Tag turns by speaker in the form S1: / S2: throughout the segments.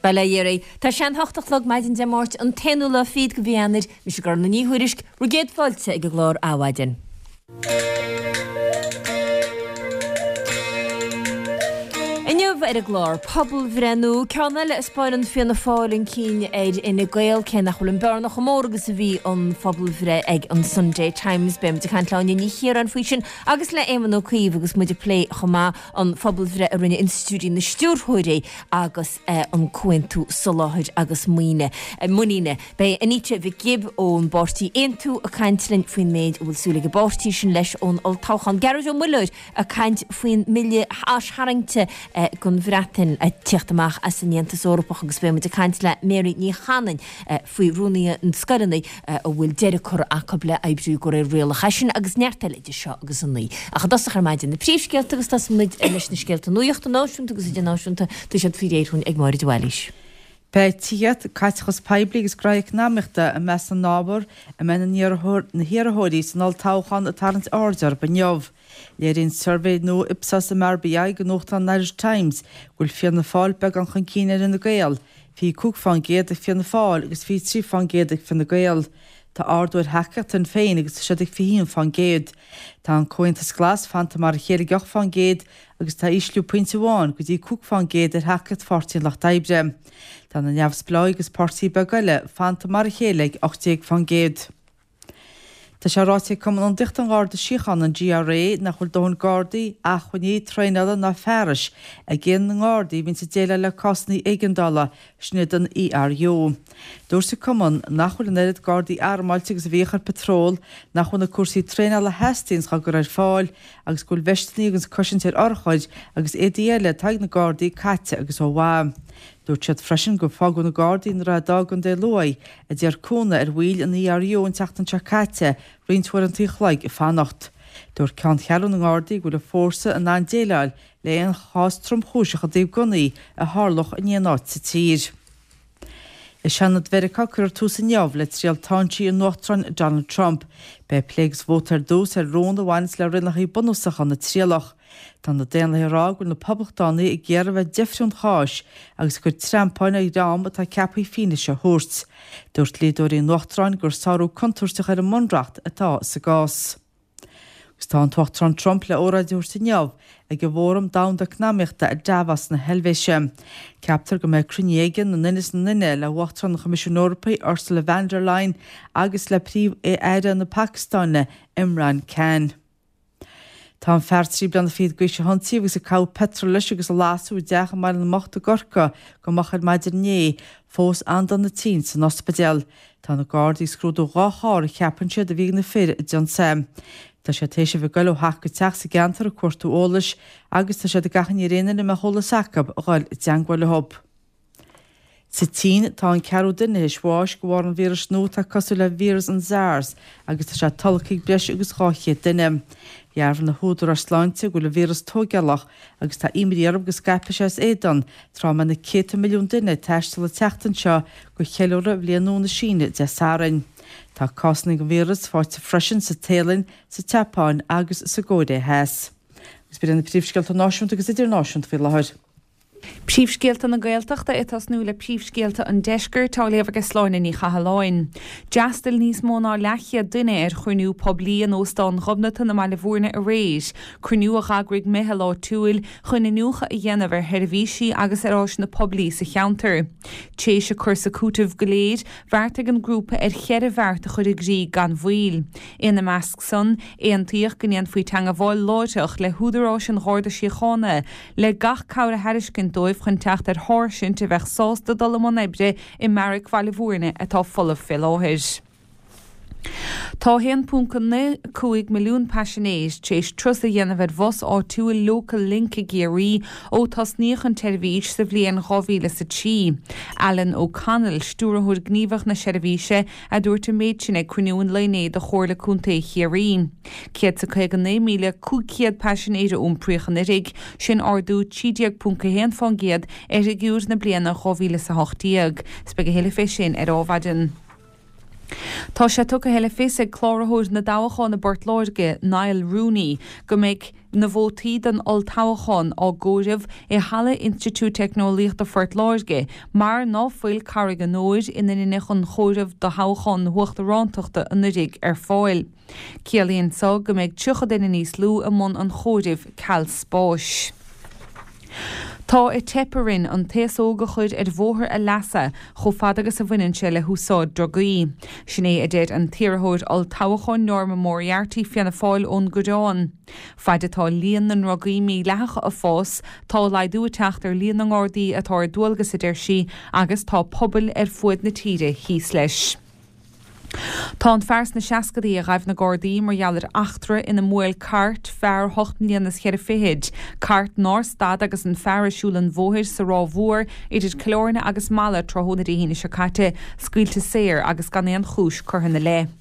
S1: Bail ó Dhia oraibh. Tá sé an hocht a chlog maidin Dé Máirt, an t-aonú lá fichead de mhí Eanáir. Mise Gormfhlaith Ní Thuairisg, bhur gcéad fáilte ag an gclár Adhmhaidin. Inniu ar an gclár, pobalbhreith nua, ceann eile a 'spáineann Fianna Fáil chun cinn ar Fhine Gael, cé nach bhfuil an bearna chomh mór agus a bhí an phobalbhreith ag an Sunday Times. Beidh muid ag caint le Áine Ní Chiaráin faoi sin agus le Éamon Ó Cuív agus muid ag plé chomh maith an phobalbhreith a rinne Institiúidí na Stiúrthóirí agus an Comhaontú Soláthair agus Muiníne. Beidh Anita Mhic Gibb ón bpáirtí Aontú ag caint linn faoin méid a bhfuil súil ag an bpáirtí sin leis ón olltoghchán. Gearóid Ó Muilleoir ag caint faoin mbille aistarraingte don Bhreatain ag tíocht amach as an Aontas Eorpach agus beidh muid ag caint le Mary Ní Chanainn faoi rúnaithe na scoileanna a bhfuil deireadh curtha acu le oibriú de réir rialacha sin agus neart eile idir seo agus a naoi. Ach i dtosach ar maidin na príomhscéalta agus tosóidh muid leis na scéalta nuachta náisiúnta agus idirnáisiúnta, tá siad faoi réir dhúinn ag Máire de Bhailís.
S2: Beidh tithíocht, caiteachas poiblí agus gnoithe eacnamaíochta i measc na n-ábhar a mbeidh na hiarrthóirí san olltoghchán ag tarraingt aird orthu inniu. Léiríonn suirbhé nua Ipsos MRBI do nuachtán an Irish Times go bhfuil Fianna Fáil beagán chun cinn ar Fhine Gael, 25% ag Fianna Fáil agus 23% ag Fine Gael. Tá ardú ar thacaíocht Shinn Féin agus tá siad ag 21%. Tá an Comhaontas Glas fanta mar a chéile ag 8% agus tá ísliú pointe amháin go dtí 5% ar thacaíocht Pháirtí an Lucht Oibre. Tá na neamhspleáigh agus páirtithe beaga eile fanta mar a chéile ag 18%. Tá sé ráite ag Cumann Ionadaíochta an Gharda Síochána, an GRA, nach bhfuil dóthain Gardaí, acmhainní, traenála ná fearais ag aon na nGardaí a bhíonns ag déileáil le cásanna éigeandála, sin iad an ERU. Dúirt an Cumann nach bhfuil an oiread Gardaí armáilte agus a bhíodh ar patról, nach bhfuil na cúrsaí traenála a theastaíonns á gcur ar fáil agus go bhfuil veisteanna agus cosaint ar urchair agus éadaí eile atá ag na Gardaí caite agus ó mhaith. Dúirt siad freisin gur fágadh na Gardaí i nDroichead Átha i gContae Lú a d'iarr cúnamh ar bhaill an ERU an tseachtain seo caite roinnt uaireanta an chloig ag fanacht. Dúirt Ceanncheathrú na nGardaí go bhfuil an fórsa in ann déileáil le aon chás tromchúiseach i dtaobh gunnaí a tharlódh in aon áit sa tír. I Seanad Mheiriceá cuirfear tús inniu le triail táinsí an Uachtaráin Donald Trump. Beidh plé agus vóta ar dtús ar rún a bhaineas le rialacha bunúsacha na trialach. Tá na Daonlathaithe ag rá go bhfuil na Poblachtánaigh ag iarraidh a bheith deifriú an cháis agus ag cur treampáin ar dhream atá ceaptha fianaise a thabhairt. Dúirt dlíodóirí an Uachtaráin gur sárú contúirteach ar an mBunreacht atá sa gcás. Agus tá an tUachtarán Trump le óráid a thabhairt inniu ag an bhFóram Domhanda Eacnamaíochta i Davos na hEilvéise. Ceaptar go mbeidh cruinniú aige na nduine is na nduine le hUachtarán an Choimisiúin Eorpaigh Ursula van der Leyen agus le Príomh-Aire na Pacastáine Imran Khan. Tá an fear 23 bliana d'aois a hionsaíodh agus a caitheadh peitreal leis agus a lasadh i dteach i mBaile na mBocht i gCorcaigh go moch ar maidin inné, fós an-dona tinn san ospidéal. Tá na Gardaí ag scrúdú 2 charr a cheapann siad a bhí ag na fir a d'ionsaigh. Tá siad théis a bheith ag goil ó theach go teach sa gceantar ag cuartú eolais agus tá siad ag achainí ar aon duine a mbeadh eolas acu a dhul i dteangmháil leo. Sa tSín, tá an ceathrú duine théis bháis de bharr an víris nua atá cosúil le víreas an SARS agus tá sé tolgtha ag breis agus 200 duine. Dhearbhaigh na húdaráis sláinte go bhfuil an víreas tóigeálach agus tá imní orthu go scaipfidh sé as éadan tráth a mbeidh na céadta milliún duine ag taisteal an tseachtain seo do cheiliúradh Bhliain Nua na Síne Dé Sathairn. Tá cásanna den víreas faighte freisin sa Téalainn, sa tSeapáin agus sa gCóiré Theas. Agus b'in iad na príomhscéalta náisiúnta agus idirnáisiúnta faoi láthair.
S3: Príomhscéalta na Gaeltachta ag tosnú le príomhscéalta an Deiscirt, á léamh aige Sláine Ní Chathalláin. D'fhreastail níos mó ná leathchéad duine ar chruinniú poiblí in Óstán Ghobnatan i mBaile Bhúirne aréir, cruinniú a dh'eagraigh meitheal áitiúil chun iniúchadh a dhéanamh ar sheirbhísí agus ar áiseanna poiblí sa cheantar. Tréis a cur is a cúiteamh go léir, bheartaigh an grúpa ar cheithre bheart a chur i gcrích gan mhoill. Ina measc san, aontaíodh go ndéanfaí teangabháil láithreach le húdaráis an Gharda Síochána le gach cabhair a thairiscint dóibh chun teacht ar sháirsint a bheadh sásta dul i mbun oibre i mbeairic Bhaile Bhúirne atá folamh fé láthair. Tá 1.95 milliún paisinéir tar éis turas a dhéanamh ar bhus áitiúil Local Link i gCiarraí ó tosnaíodh an tseirbhís sa bhliain 2003. Alan O'Connell, Stiúrthóir Gníomhach na seirbhíse, a dúirt an méid sin ag cruinniú an lae inné de Chomhairle Contae Chiarraí. 159,500 paisinéir a iompraíodh anuraidh, sin ardú 13.1% ar fhigiúr na bliana 2018. 'S beidh a thuilleadh fé sin ar Adhmhaidin. Tá sé tugtha le fios ag Cláraitheoir na dToghchán i bPort Láirge, Niall Rooney, go mbeidh. na vótaí don olltoghchán á gcomhaireamh i Halla Institiúid Teicneolaíochta Phort Láirge mar ná fuil Carraig an Óir, ina ndeineadh an chomhaireamh do thoghchán na huachtarántachta anuiridh, ar fáil. Ciallaíonn so go mbeidh 30 duine níos lú i mbun an chomhairimh ceal spáis. Tá ag teip orainn an t-aos óg a chur ar bhóthar a leasa chomh fada agus a bhaineann sé le húsáid drugaí. Sin é a deir an t-iarrthóir olltoghcháin Norma Moriarty, Fianna Fáil ón gCoireán. Faid atá líon na ndrugaí mídhleathacha ag fás, tá laghdú ag teacht ar líon na nGardaí atá ar dualgas, a deir sí, agus tá pobail ar fuaid na tíre thíos leis. Tá an fear sna seascadaí a ghaibh na Gardaí mar gheall ar eachtra ina mbuail cairt fear hocht mbliana is cheithre fichid, cairt nár stad agus an fear ag siúl an bhóthair sa Ráth Mhór idir Cill Airne agus Mala tráthnóna Dé hAoine seo caite, scaoilte saor agus gan aon chúis curtha ina leith.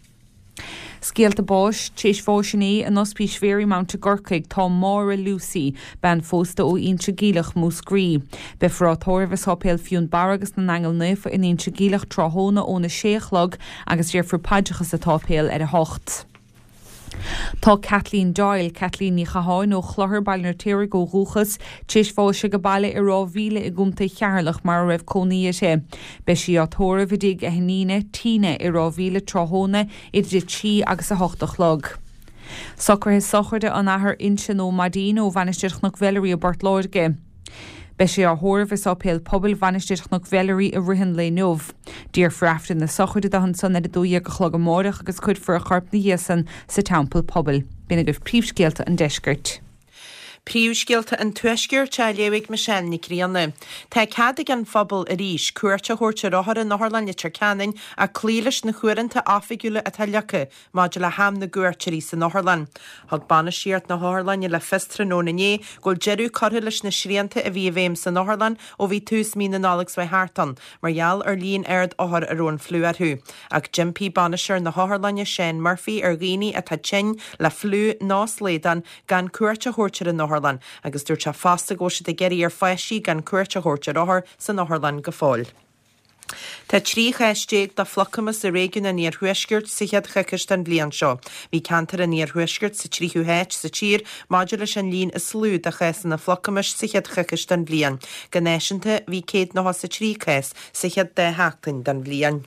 S3: Scéalta báis, Tar éis bháis inné in Ospís Mharymount i gCorcaigh tá Máire Lucey, bean phósta ó Inse Geimhleach, Múscraí. Beifear á tórramh i Sáipéal Fionnbarra agus na nAingeal Naofa in Inse Geimhleach tráthnóna óna sé a chlog agus déarfar paidreacha sa tsáipéal ar a hocht. Tá Kathleen Doyle, Kathleen Ní Chatháin ó Chlochar, Baile an Fheirtéaraigh ó dhúchas, tar éis bháis ag a baile i Ráth Mhíle i gContae Cheatharlach mar a raibh cónaí uirthi. Beidh sí á tórramh i dtigh a hiníne, Tina, i Ráth Mhíle tráthnóna idir 3 agus 8 a chlog. Socruithe sochraide an Athar Uinseann Ó Maidín ó Mhainistir Chnoc Mheilearaí i bPort Láirge. Beidh sé á thórramh i Sáipéal Pobail Mhainistir Chnoc Mheilearaí i rith an lae inniu. Déarfar Aifreann na sochraide dó ansan ar 12 a chlog amáireach agus cuirfear a chorp 'na dhiaidh san sa Teampall Pobail. B'in agaibh príomhscéalta an deiscirt.
S4: Príomhscéalta an Tuaiscirt á léamh ag Michelle Nic Grianna. Tá cead ag an phobal arís cuairt a thabhairt ar othair in Otharlann Leitir Ceanainn ach cloí leis na huaireanta oifigiúla atá leagtha maidir le ham na gcuairteoirí san otharlann. Thug bainistíocht na hotharlainne le fios tráthnóna inné go bhfuil deireadh curtha leis na srianta a bhí i bhfeidhm san otharlann ó bhí tús mí na Nollag seo thart ann mar gheall ar líon ard othar a raibh an fliú orthu. Ach d'impigh bainisteoir na hotharlainne Shane Murphy ar dhaoine atá tinn le fliú nó slaghdán gan cuairt a thabhairt ar an otharlann agus dúirt sé fosta go bhfuil siad ag iarraidh ar pháistí gan cuairt a thabhairt ar othair san otharlann go fóill. Tá 13 chás de phlucamas i réigiún an Iarthuaiscirt sa chéad choicís den bhliain seo. Bhí ceantar an Iarthuaiscirt sa tríú háit sa tír maidir leis an líon is lú de chásanna phlucamais sa chéad choicís den bhliain. Go náisiúnta, bhí 193 cás sa chéad dá sheachtain den bhliain.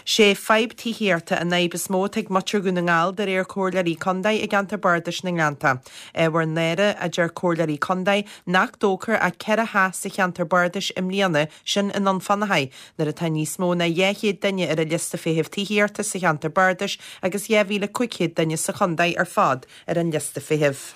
S4: Sé fadhb tithíochta an fhadhb is mó atá ag muintir Dhún na nGall de réir Comhairleoirí Contae i gceantar Bardais na nGleannta. Ábhar náire, a deir Comhairleoirí Contae, nach dtógfar ach 4 theach sa cheantar bardais i mbliana, sin i nDún Fionnachaidh, nuair atá níos mó ná 200 duine ar an liosta feithimh tithíochta sa cheantar bardais agus 2,500 duine sa chontae ar fad ar an liosta feithimh.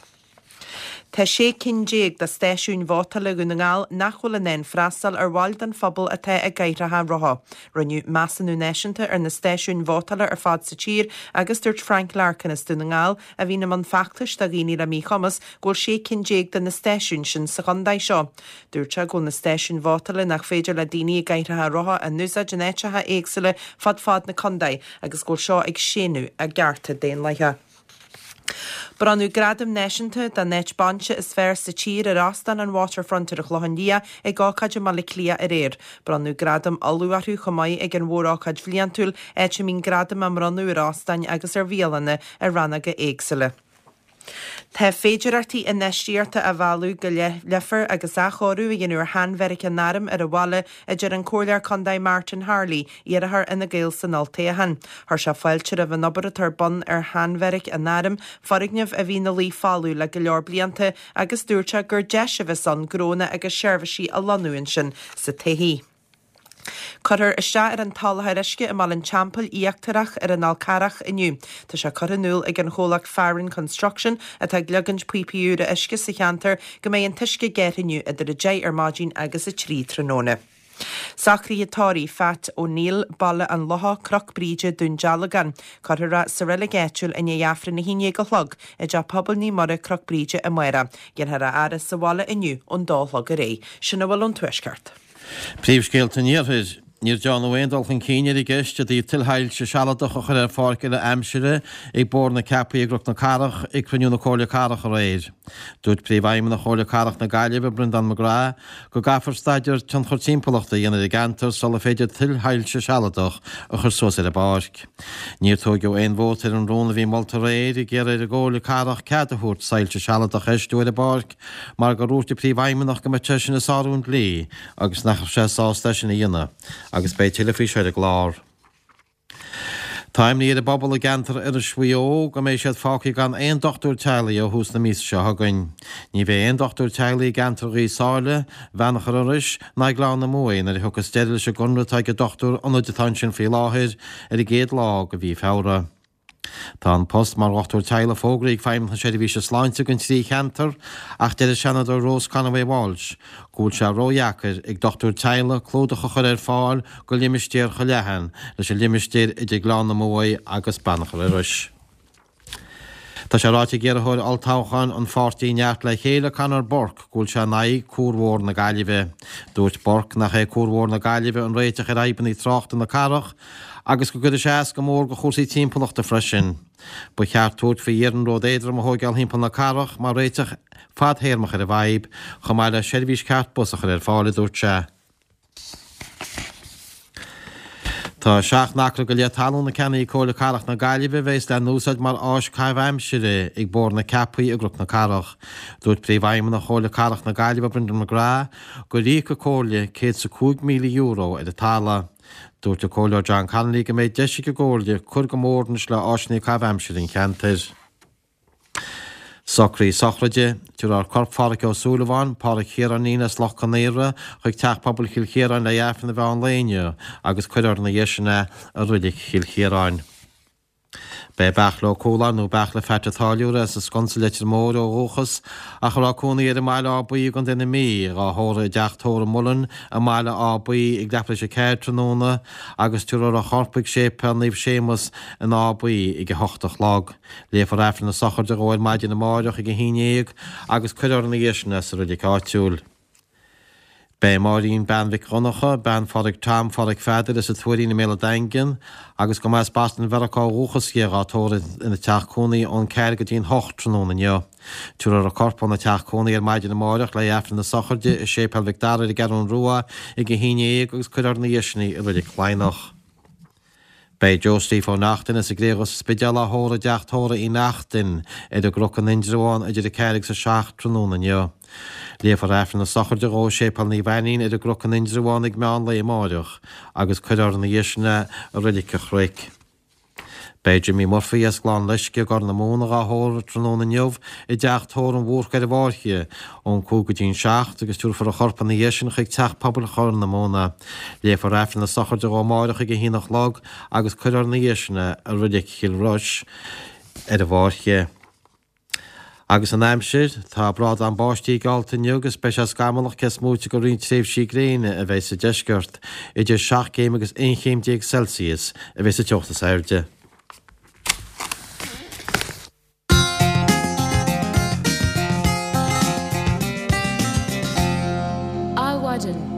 S4: Tá 16 cinn de stáisiúin vótála Dhún na nGall nach bhfuil in ann freastal ar bhaill den phobal atá i gcathaoireacha rotha. Rinneadh measúnú náisiúnta ar na stáisiúin vótála ar fad sa tír agus dúirt Frank Larkin as Dún na nGall, a bhíonn i mbun feachtais do dhaoine le míchumas, go bhfuil 16 cinn de na stáisiúin sin sa chontae seo. Dúirt sé go bhfuil na stáisiúin vótála nach féidir le daoine i gcathaoireacha rotha a n-úsáid in áiteacha éagsúla fud fad na contae agus go bhfuil seo ag séanadh a gcearta daonlathacha. Bronnadh gradam náisiúnta don áit bainse is fearr sa tír ar Óstán an Waterfront ar an Chlochán Liath ag ócáid i mBaile Átha Cliath aréir. Bronnadh gradam Uladh orthu chomh maith ag an mhórócáid bhliantúil, áit a mbíonn gradaim á mbronnadh ar óstáin agus ar bhialanna i rannóga éagsúla. Tá féidearthachtaí infheistíochta á mhealladh go Leifear agus athchóiriú a dhéanamh ar sheanbheairic an Airm ar an bhaile, a deir an Comhairleoir Contae Martin Harley, iarrthóir Fhine Gael san olltoghchán. Chuir sé fáilte roimh an obair atá ar bun ar sheanbheairic an Airm, foirgneamh a bhí ina luí folamh le go leor blianta, agus dúirt sé gur deis a bheas ann gnónna agus seirbhísí a lonnú ansin sa todhchaí. Cuirfear isteach ar an tsoláthar uisce i mBaile an Teampaill Íochtarach ar an Fhál Carrach inniu. Tá sé curtha in iúl ag an chomhlacht Farren Construction, atá ag leagaint píopaí úra uisce sa cheantar, go mbeidh an t-uisce gearrtha inniu idir 10 ar maidin agus 3 tráthnóna. Socruithe tórraimh Phat O'Neill, Baile an Locha, Cnoc Bríde, Dún Dealgán. Cuirfear é sa reilig áitiúil i ndiaidh Aifreann 11 a chlog i dTeach Pobail Naomh Muire, Cnoc Bríde amárach. Déanfar a fhaire sa bhaile inniu ón dó a chlog ar aghaidh. Sin a bhfuil ón Tuaisceart.
S5: Príomhscéalta an Iarthair. Níor déanadh aon dul chun cinn ar an gceist i dtaobh tuilshoilse sealadach a chur ar pháirc uile aimsire ag Bóthar na Ceapaí i gCnoc na Cathrach ag cruinniú na Comhairle Cathrach aréir. Dúirt Príomhfheidhmeannach Chomhairle Cathrach na Gaillimhe, Breandán McGrath, go gcaithfear staidéar tionchar timpeallachta a dhéanamh ar an gceantar sular féidir tuilshoilse sealadach a chur suas ar an bpáirc. Níor tóigeadh aon vóta ar an rún a bhí molta aréir ag iarraidh ar an gComhairle Cathrach cead a thabhairt soilse sealadach a fheistiú ar an bpáirc mar gur dhúirt an Príomhfheidhmeannach go mbeadh sé sin ag sárú an dlí agus nach raibh sé sásta é sin a dhéanamh. Agus beidh tuilleadh faoi seo ar an gclár. Tá imní ar an bpobal i gceantar Iorrais Mhaigh Eo go mbeidh siad fágtha gan aon dochtúir teaghlaigh ó thús na míosa seo chugainn. Ní bheidh aon dochtúir teaghlaigh i gceantar Ghaoth Sáile, Bheannachar Iorrais ná Ghleann na Muaidhe nuair a thiocfas deireadh leis an gconradh atá ag an dochtúir ionaid atá ansin faoi láthair ar an gcéad lá de mhí Feabhra. Tá an post mar dhochtúir teaghlaigh fógraithe ag Feidhmeannacht na Seirbhíse Sláinte don trí cheantar ach deir an Seanadóir Rose Conway Walsh go bhfuil sé ródheacair ag dochtúir teaghlaigh clúdach a chur ar fáil do limistéar chomh leathan leis an limistéar idir Gleann na Muaidhe agus Beannachar Iorrais. Tá sé ráite ag iarrthóir olltoghcháin an pháirtí Neart le Chéile, Conor Burke, go bhfuil sé in aghaidh Cuar Mhór na Gaillimhe. Dúirt Burke nach é Cuar Mhór na Gaillimhe an réiteach ar fhadhbanna tráchta na cathrach agus go gcuirfidh sé as go mór do chúrsaí timpeallachta freisin. Ba cheart tabhairt faoi iarnród éadrom a thóigeáil thimpeall na cathrach mar réiteach fadthéarmach ar an bhfadhb, chomh maith le seirbhís ceart bus a chur ar fáil, a dúirt sé. Tá 7 n-acra go leith talún a ceannaigh Comhairle Cathrach na Gaillimhe a bheas le n-úsáid mar áis caitheamh aimsire ag Bóthar na Ceapaí i gCnoc na Cathrach. Dúirt Príomhfheidhmeannach Chomhairle Cathrach na Gaillimhe Brendan McGrath gur íoc an Comhairle €105,000 ar an talamh. Dúirt an Comhairleoir John Connolly go mbeidh deis ag an gComhairle cur go mór anois le áiseanna caitheamh aimsire an cheantair. Socruithe sochraide, Tabharfar corp Phádhraic Ó Súilleabháin, Pádhraic Chiaráinín as Loch Con Aortha, chuig Teach Pobail Chill Chiaráin le Aifreann an mheán lae inniu agus cuirfear ina dhiaidh sin é i Reilig Chill Chiaráin. Beidh Beartla Ó Cualáin nó Beartla Pheait an Táilliúra as an Sconsa Leitir Móir ó dhúchas ach a raibh cónaí air i mBaile Átha Buí i gContae na Mí, dhá thórramh i dteach tórraimh Mullen i mBaile Átha Buí ag leathuair tar éis a 4 tráthnóna agus tabharfar a chorp chuig Séipéal Naomh Séamus in Áth Buí ag a hocht a chlog. Léifear Aifreann na sochraide dhó ar maidin amáireach ag 11 agus cuirfear ina dhiaidh sin é sa reilig áitiúil. Beidh Máirín bean Mhic Dhonncha, bean Phádraig Tom Phádraig Pheadair as an Tuairín i mBéal an Daingin agus go mba as Boston Mheiriceá ó dhúchas dhi dhá tórramh ina teach cónaí ón 4 go dtí'n 8 tráthnóna inniu. Tabharfar a corp óna teach cónaí ar maidin amáireach le hAifreann na sochraide i Séipéal Mhic Dara ar an gCeathrún Rua ag 11 agus cuirfear ina dhiaidh sin í i Reilig Laighneach. Beidh Joe Steve Ó Neachtain as an gCré Dhubh sa Spidéal á thórramh i dteach tórraimh Uí Neachtain ar an gCnoc in Indreabhán idir 4 agus 7 tráthnóna inniu. Léifear Aifreann na sochraide dhó i Séipéal Naomh Ainnín ar an gCnoc in Indreabhán ag meán lae amáireach agus cuirfear ina dhiaidh sin é i Reilig an Chnoic. Beidh Jimmy Murphy as Gleann Loisce i gCorr na Móna dhá thórramh tráthnóna inniu i dteach tórraimh an Bhúrcaigh ar an bhFáirche ón 5 go dtí'n 7 agus tabharfar a chorp ina dhiaidh sin chuig Teach Pobail Chorr na Móna. Léifear Aifreann na sochraide dhó amáireach ag a haon a chlog agus cuirfear ina dhiaidh sin é i Reilig Chill Rois ar an bhFáirche. Agus an aimsir, tá brádán báistí geallta inniu agus beidh sé scamallach cé is móite de roinnt tréimhsí gréine a bheidh sa deisceart. Idir 7 céim agus 11 chéim Celsius a bheidh sa teocht is airde.
S1: Adhmhaidin.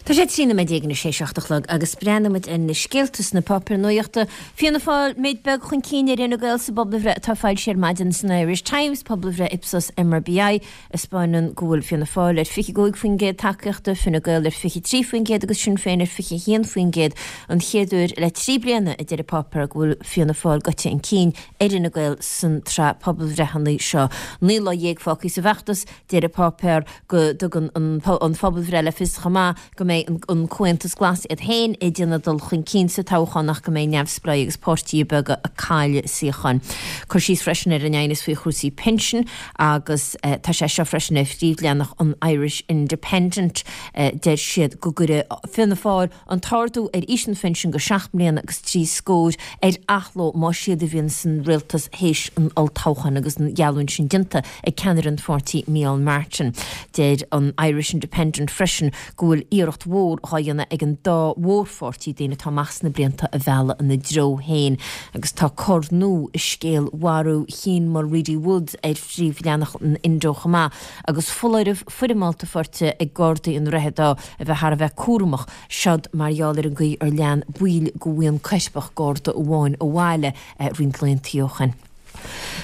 S1: Tá sé 13 nóiméad anois théis 7 a chlog agus breathnóimid ar na scéalta sna páipéir nuachta. Fianna Fáil méid beag chun cinn ar Fhine Gael sa bpobalbhreith atá foilsithe ar maidin san Irish Times, pobalbhreith Ipsos MRBI, a 'spáineann go bhfuil Fianna Fáil ar 25% tacaíochta, Fine Gael ar 23% agus Sinn Féin ar 21%. An chéad uair le 3 bliana, a deir an páipéar, go bhfuil Fianna Fáil gaibhte chun cinn ar Fhine Gael san tsraith pobalbhreitheanna seo. 19 lá fágtha sa bhfeachtas, deir an páipéar go dtugann an phobalbhreith le fios chomh maith go mbeidh an Comhaontas Glas iad féin ag déanamh dul chun cinn sa toghchán ach go mbeidh neamhspleáigh agus páirtithe beaga ag cailleadh suíocháin. Cur síos freisin ar an aighneas faoi chúrsaí pinsin agus tá sé seo freisin ar phríomhleathanach an Irish Independent. Deir siad go gcuirfidh Fianna Fáil an t-ardú ar aois an phinsin go seacht mbliana agus trí scór ar athló más iad a bhíonn san rialtas théis an olltoghcháin agus an gheallúint sin déanta ag ceannaire an pháirtí Micheál Martin. Deir an Irish Independent freisin go bhfuil iarracht. iarracht mhór dhá dhéanamh ag an dá mhórpháirtí daoine atá amach sna blianta a mhealladh ina dtreo féin. Agus tá cor nua i scéal mharú Chian Mulready Woods ar phríomhleathanach an Indo chomh maith, agus foláireamh foirmeálta faighte ag Gardaí i nDroichead Átha a bheith thar a bheith cúramach, seod mar gheall ar an gcaoi ar lean baill de bhuíon coirpeach Garda amháin abhaile roinnt laethanta ó shin.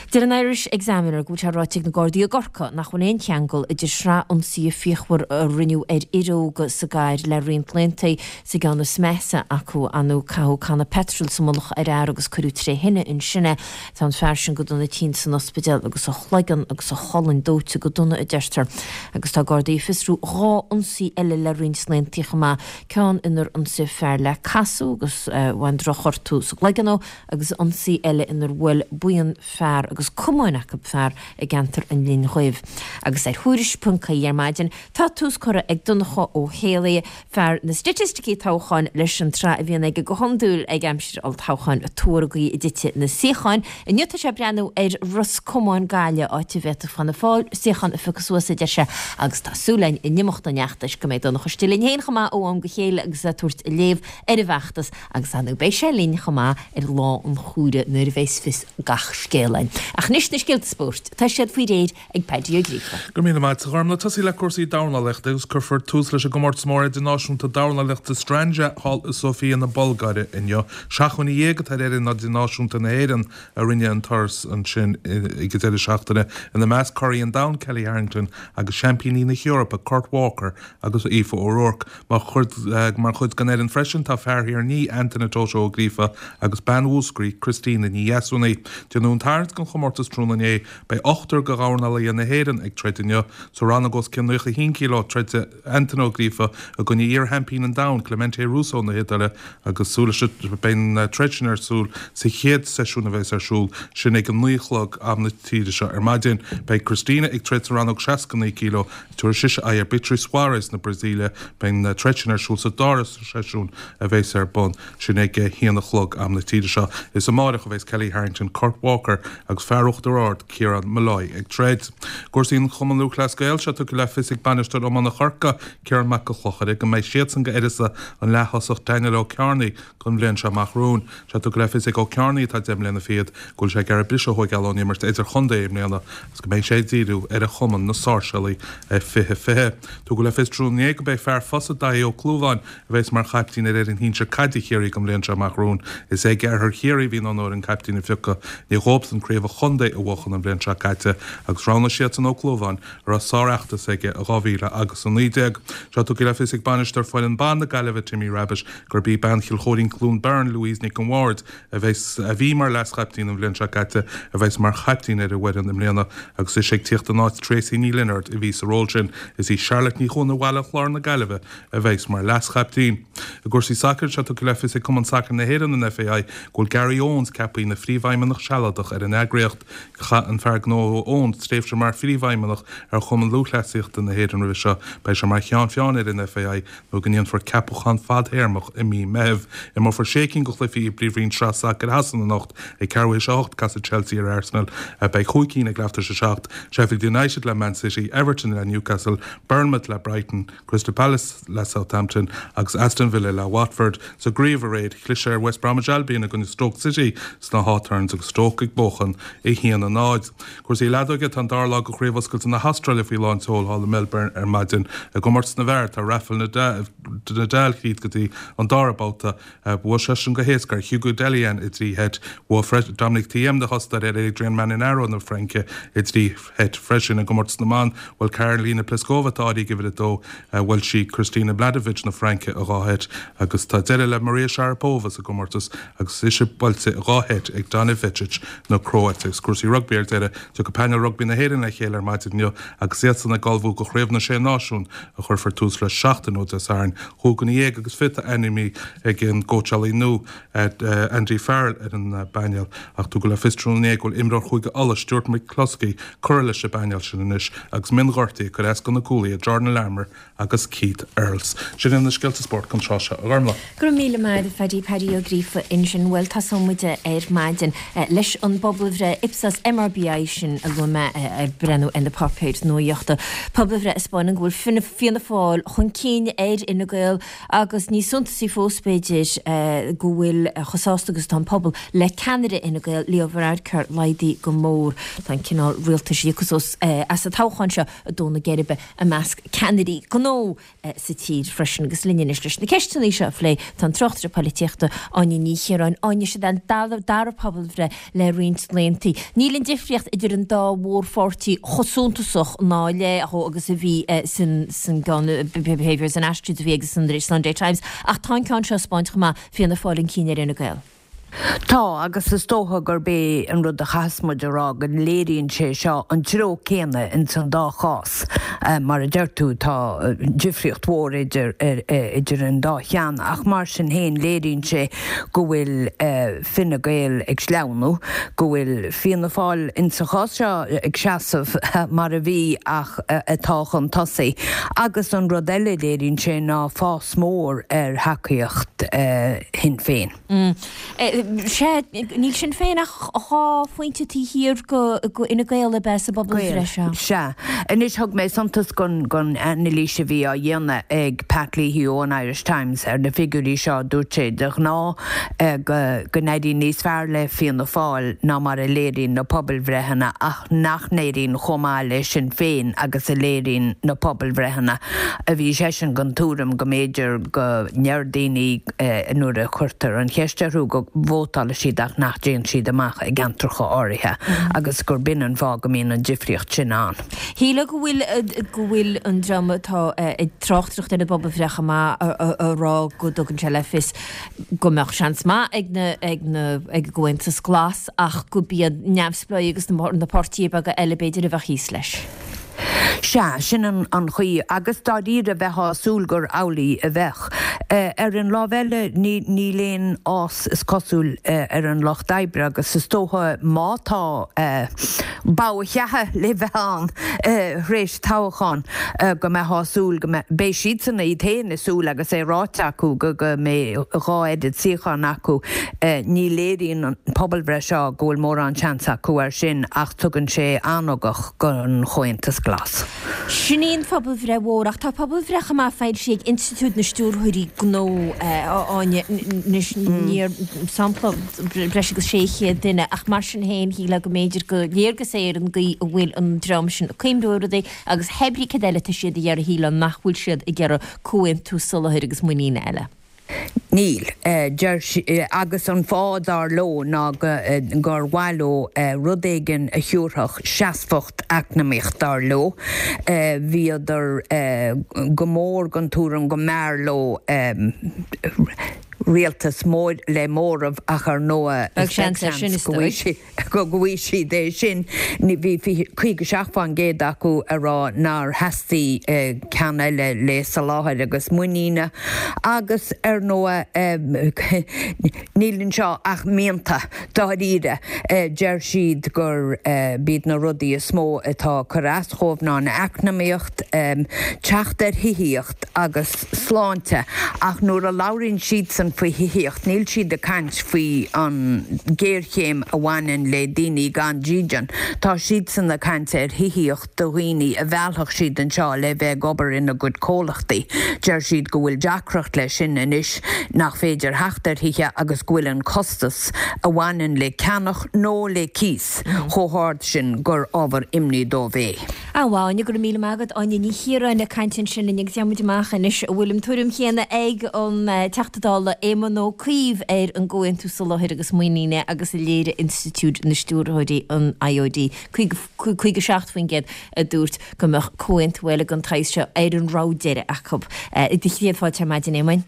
S1: Deir an Irish Examiner go bhfuil sé ráite ag na Gardaí i gCorcaigh nach bhfuil aon cheangal idir sraith ionsaithe fíochmhar a rinneadh ar fhir óga sa gcathair le roinnt laethanta, sa gceann is measa acu, ar ndóigh caitheadh canna peitril sa mullach ar fhear agus cuireadh tré thine ansin é. Tá an fear sin go dona tinn san ospidéal agus a chloigeann agus a cholainn dóite go dona, a deirtear. Agus tá Gardaí ag fiosrú 2 ionsaí eile le roinnt laethanta chomh maith, ceann inar ionsaíodh fear le casú agus bhain drochghortú sa gcloigeann dó, agus ionsaí eile inar bhuail buíon fear agus camáin acu fear i gceantar an Linn Dhuibh. Agus ar Thuairisc ponc ie ar maidin, tá tús curtha ag Donncha Ó Héalaí, fear na staitisticí toghcháin, leis an tsraith a bhíonn aige go hiondúil ag aimsir olltoghcháin, ag tuar an gcaoi a dtitfidh na suíocháin. Inniu tá sé ag breathnú ar Ros Comáin Gaillimh, áit a bhféadfadh Fianna Fáil suíochán a phiocadh suas, a deir sé, agus tá súil againn in imeacht an fheachtais go mbeidh Donncha istigh linn féin chomh maith ó am go chéile agus é ag tabhairt a léamh ar an bhfeachtas Agus ar ndóigh beidh sé linn chomh maith ar lá an chomhairimh nuair a bheas fios gach scéil againn. Ach anois na scéalta spóirt, tá siad faoi réir ag Paddy Ó Gríofa.
S6: Go raibh míle maith agat, a Ghormlaith. Tosaí le cúrsaí dornálaíochta agus cuirfear tús leis an gcomórtas mór idirnáisiúnta dornálaíochta Strandja thall i Sofia na Bulgáire inniu. 17 atá ar fhoireann idirnáisiúnta na hÉireann a rinne an turas ansin ag an deireadh seachtaine, ina measc curaidh an domhain Kellie Harrington agus seaimpíní na hEorpa Kurt Walker agus Aoife O'Rourke. Mar chuid den fhoireann freisin tá fear Thír an Fhia, Antaine Toto Ó Gríofa agus bean Mhúscraí, Christina Ní Dheasúnaigh. Déanadh an tarraingt don chomórtas tráthnóna inné. Beidh ochtar de dhornálaithe na hÉireann ag troid inniu. Sa rannóg os cionn 91 kg, troidfidh Antaine Ó Gríofa i gcoinne iar-sheaimpín an domhain, Clemente Russo na hIodáile agus súil leis beidh an troid sin ar siúl sa chéad seisiún a bheas ar siúl, sin ag a 9 a chlog am na tíre seo ar maidin. Beidh Christina ag troid sa rannóg 69 kg. Tabharfaidh sise aghaidh ar Beatriz Soares na Brasaíle. Beidh an troid sin ar siúl sa dara seisiún a bheas ar bun, sin ag a haon a chlog am na tíre seo. Is amáireach a bheas Kellie Harrington, Kurt Walker agus fear Uachtar Ard, Ciarán Molloy ag troid. I gcúrsaí an Chumann Lúthchleas Gael, tá sé tugtha le fios ag bainisteoir iomána Chorcaí, Ciarán Mac Giolla Chlochair, go mbeidh siadsan go uireasa an leath-thosach Daniel Ó Cearnaigh don bhliain seo amach romhainn. Tá sé tugtha le fios ag Ó Cearnaigh, atá deich mbliana fichead, go bhfuil sé ag iarraidh briseadh a thóigeáil ón imirt idirchontae i mbliana agus go mbeidh sé ag díriú ar a chumann, na Sáirséalaigh 2020. Tugadh le fios tráthnóna inné gurb é fear Fosa, Daithí Ó Clúmháin, a bheas mar chaiptín ar fhoireann shinsir caide Chiarraí don bhliain seo amach romhainn. Is ag Oirthear Chiarraí a bhí an onóir an caiptín a phiocadh i ndiaidh dhóibhsan craobh an chontae a bhuachan an bhliain seo caite agus roghnaigh siadsan Ó Clúmháin a raibh sárfheachtas aige i 2019. Tá sé tugtha le fios ag bainisteoir foireann ban na Gaillimhe, Timmy Rabbitte, gurb í bean Chill Chóirín Cluain Bheirn, Louise Nic an Bhaird, a bheas, a bhí mar leas-chaiptín an bhliain seo caite, a bheas mar chaiptín ar an bhfoireann i mbliana agus ise ag tíocht in áit Tracey Ní Lionáird a bhí sa ról sin. Is í Charlotte Ní Chuana Bhaile an Chláir na Gaillimhe a bheas mar leas-chaiptín. I gcúrsaí sacair, tá sé tugtha le fios ag Cumann Sacair na hÉireann, an FAI, go bhfuil Gary Owens ceaptha ina phríomhfheidhmeannach sealadach ar an eagraíocht. Chaith an fear gnó Owens tréimhse mar phríomhfheidhmeannach ar Chumann Lúthchleasaíochta na hÉireann roimhe seo. Beidh sé mar cheann feadhain ar an FAI nó go ndéanfar ceapachán fadthéarmach i mí Meithimh. Imreofar sé cinn de chluichí i bPríomhroinn Sraith Sacair Shasana anocht. Ag ceathrú théis a hocht, casfaidh Chelsea ar Arsenal. Beidh chúig cinn ag leath tar éis a seacht, Sheffield United le Man City, Everton le Newcastle, Bournemouth le Brighton, Crystal Palace le Southampton agus Aston Villa le Watford. Sa gcraobh aréir, chlis ar West Bromwich Albion i gcoinne Stoke City sna Hawthorns agus Stoke ag buachan 1-0. Cúrsaí leadóige, Tá an dara lá de Chraobh Oscailte na hAstráile faoi lán tseoil thall i Melbourne ar maidin. I gcomórtas na bhfear, tá Rafael Nadal thríd go dtí an dara babhta. Bhuaigh seisean go héasca ar Hugo Dellien i dtrí sheit. Bhuaigh Dominic Thiem na hOstaire ar Adrian Manarino na Fraince i dtrí sheit freisin. I gcomórtas na mban, bhuail Karolina Pliskova, atá áirithe ag uimhir a dó, bhuail sí Kristina Mladenovic na Fraince i dhá sheit agus tá deireadh le Maria Sharapova sa gcomórtas agus ise buailte i dhá sheit ag Donna Vekic na Cróite. Agus cúrsaí rugbaí ar deireadh, tiocfaidh painéal rugbaí na hÉireann le chéile ar maidin inniu agus iadsan ag ullmhú do Chraobh na Sé Náisiún a chuirfear tús leis seachtain ó Dé Sathairn. 25 ainmnithe ag an gcóitseálaí nua, Andy Farrell ar an bpainéal ach tugadh le fios tráthnóna inné go bhfuil imreoir Chúige Uladh, Stuart McCloskey, curtha leis an bpainéal sin anois agus mionghortuithe ag cur as do na cúlaithe Jordan Larmour agus Keith Earls. Sin iad na scéalta spóirt don tráth seo, a Ghormlaith.
S1: Go raibh míle maith agat, a Phaddy, Paddy Ó Gríofa ansin. Bhuel, tosóidh muid ar maidin leis an bpobalbhreith Ipsos MRBI sin a luaigh mé ag breathnú ar na páipéir nuachta. Pobalbhreith a 'spáineann go bhfuil Fianna Fáil chun cinn ar Fhine. Gael agus níos suntasaí fós, b'fhéidir, go bhfuil chomh sásta agus atá an pobal le ceannaire Fhine Gael, Leo Varadkar, laghdaithe go mór. Tá an cineál rialtais a thiocfas as an toghchán seo ag dó na geirbe i measc ceannairí gnó sa tír freisin. Agus linn anois leis na ceisteanna seo a phlé tá an tráchtaire polaitíochta Áine Ní Chiaráin. Áine, siod an dara pobalbhreith le roinnt laethanta. Níl an difríocht idir an dá mhórpháirtí chomh suntasach ná le chomh agus a bhí san gceann Behaviours and Attitudes a bhí ag an Sunday Times ach tá an ceann seo ag 'spáint chomh maith Fianna Fáil chun cinn ar Fhine Gael.
S7: Tá, agus is dócha gurb é an rud a chaithfeas muid a rá go léiríonn sé seo an treo céanna ins an dá chás. Mar a deir tú, tá difríocht mhór idir idir an dá cheann ach mar sin féin léiríonn sé go bhfuil Fine Gael ag sleamhnú, go bhfuil Fianna Fáil ins an chás seo ag seasamh mar a bhí ach atá chun tosaigh. Agus an rud eile a léiríonn sé ná fás mór ar thacaíocht Shinn Féin.
S1: Sea, níl Sinn Féin ach 2 phointe taobh thiar de Fhine Gael ab ea sa bpobalbhreith seo.
S7: Sea. Anois, thug mé suntas don anailís a bhí á dhéanamh ag Pat Leahy ón Irish Times ar na figiúirí seo. Dúirt sé, de ghnáth, go n-éiríonn níos fearr le Fianna Fáil ná mar a léiríonn na pobalbhreitheanna ach nach n-éiríonn chomh maith le Sinn Féin agus a léiríonn na pobalbhreitheanna. Bhí seisean den tuairim go mb'fhéidir go ndeir daoine nuair a chuirtear an cheist orthu go vótálfaidh siad ach nach dtéann siad amach i gceantracha áirithe agus gur b'in an fáth go mbíonn an difríocht sin ann.
S1: Shílfeá go bhfuil go bhfuil an dream atá ag tráchtaireacht ar an bpobalbhreith chomh maith a rá go dtugann sé le fios go mbeadh seans maith ag na ag na ag an gComhaontas Glas ach gurb iad neamhspleáigh agus na páirtithe beaga eile b'fhéidir a bheadh thíos leis.
S7: Sea, sin an chaoi, agus dáiríre bheifeá ag súil gur amhlaidh a bheadh. Ar an lámh eile, níl aon fhás, is cosúil, ar an lucht oibre agus is dócha má tá bogha cheatha le bheith ann thréis toghcháin, go mbeifeá ag súil go mbeidh, beidh siadsan iad féin ag súil agus é ráite acu go mbeidh dhá oiread suíochán acu. Ní léiríonn an pobalbhreith seo go bhfuil mórán seans acu air sin ach tugann sé an-ugach. don Chomhaontas Glas.
S1: Sin í an phobalbhreith mhór, ach tá pobalbhreith chomh maith foilsithe ag Institiúid na Stiúrthóirí Gnó, a Áine, anois níor sampla breis agus 600 duine, ach mar sin féin shílfeá go mb'fhéidir gur léargas é ar an gcaoi a bhfuil an dream sin ag cuimhniú ar rudaí agus hé brí céard eile tá siad a iarraidh shílfeá nach bhfuil siad ag iarraidh comhaontú soláthair agus muiníne eile.
S7: Níl. Deir agus an fáth, dar leo, ná gur mhaith leo rud éigin a thiúrfadh seasmhacht eacnamaíoch, dar leo. Bhíodar go mór den tuairim go mb'fhearr leo rialtas mór le móramh ach ar ndóigh
S1: is beag seans go bhfaighidh
S7: go bhfaighidh siad é sin. Bhí 57% acu ag rá nár theastaigh ceann eile le soláthar agus muiníne agus ar ndóigh níl anseo ach mianta dáiríre. Deir siad gur b'iad na rudaí is mó atá ag cur as dhóibh ná an eacnamaíocht, teacht ar thithíocht agus sláinte ach nuair a labhraíonn siadsan faoi thithíocht níl siad ag caint faoi an ghéarchéim a bhaineann le daoine gan dídean. Tá siadsan ag caint ar thithíocht do dhaoine a mheallfadh siad anseo le bheith ag obair ina gcuid comhlachtaí. Deir siad go bhfuil deacracht leis sin anois nach féidir theacht ar thithe agus go bhfuil an costas a bhaineann le ceannach nó le cíos chomh hard sin gur ábhar imní dóibh é.
S1: A Áine, go raibh míle maith agat. Áine Ní Chiaráin ag caint ansin linn agus gheobhaidh muid amach anois an bhfuil an tuairim chéanna ag an Teachta Dála Éamon Ó Cuív ar an gComhaontú Soláthair agus Muiníne agus a léirigh Institiúid na Stiúrthóirí, an IOD. 57% a dúirt go mbeadh comhaontú eile den tsaghas seo ar an rogha deiridh acu. Do chéad fáilte ar maidin, Éamoin.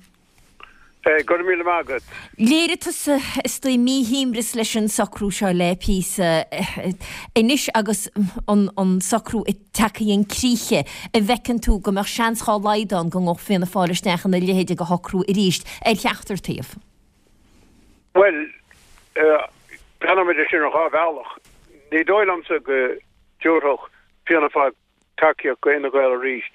S8: Go raibh míle maith agat.
S1: Léirigh tusa is dóigh míshuaimhneas leis an socrú seo le píosa. Anois agus an socrú ag teacht chun críche, an bhfeiceann tú go mbeadh seans dhá laghad ann go ngabhfadh Fianna Fáil isteach ina leithéid de shocrú arís ar cheachtar taobh?
S8: Bhuel, breathnóimid air sin ar dhá bhealach. Ní dóigh liomsa go dtabharfadh Fianna Fáil tacaíocht go Fhine Gael arís.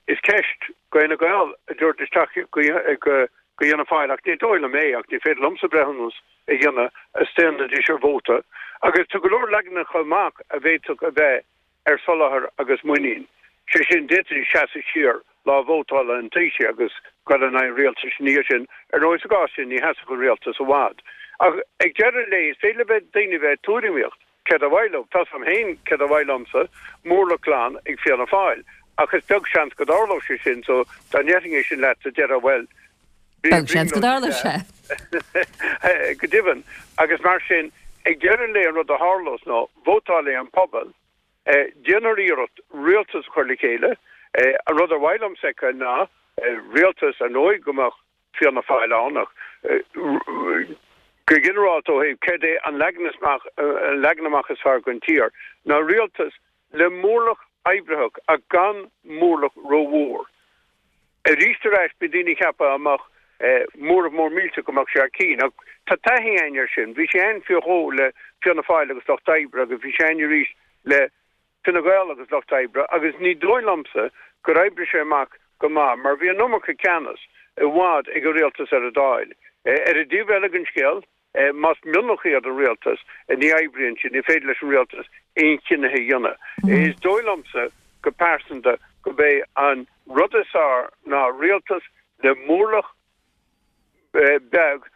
S8: Is ceist go Fhine Gael an dtabharfaidís tacaíocht go Fhianna Fáil ach ní dóigh liom é ach ní féidir liomsa breithiúnas a dhéanamh a staonfaidís ar vóta. Agus tá go leor leaganacha amach a bhféadfadh a bheith ar soláthar agus muinín. Sé sin, d'fhéadfaidís seasamh siar. Lá vótála an Taoisigh agus goil in aghaidh an rialtais ina dhiaidh sin. Ar ndóigh, sa gcás sin, ní sheasfadh an rialtas i bhfad. Ach ag deireadh an lae, is féidir le bheith daoine bheith ag tuairimíocht céard ar mhaith leo. Tá's a'm féin céard ar mhaith liomsa, mórlach glan ag Fianna Fáil. Ach is beag seans go dtarlódh sé sin, so dá ndéarfainn é sin leatsa, déarfá, bhuel,
S1: Beag seans go dtarlódh sé.
S8: Go deimhin. Agus mar sin, ag deireadh an lae an rud a tharlós ná, vótálfaidh an pobal, Déanfar iarracht rialtas a chur le chéile. An rud ar mhaith liomsa a fheiceáil ná rialtas, ar ndóigh, go mbeadh Fianna Fáil ann ach go ginearálta ó thaobh céard é an leagan amach is fearr don tír, ná rialtas le mórlach oibritheach ach gan mórlach rómhór. Arís ar ais, bíonn daoine ag ceapadh dá mbeadh móramh mór millteach go mbeadh sé thar cinn. Ach tá taithí againn air sin. Bhí sé ann faoi dhó le Fianna Fáil agus Lucht Oibre agus bhí sé ann arís le Fine Gael agus Lucht Oibre agus ní dóigh liomsa gur oibrigh sé amach go maith mar bhí an iomarca ceannas i bhfad ag an rialtas ar an Dáil. Ar an dtaobh eile den scéal, Más mionlach iad an rialtas, ní oibríonn siad, ní féidir leis an rialtas aon chinneadh a dhéanamh. Is dóigh liomsa go pearsanta gurb é an rud is fearr ná rialtas le mórlach beag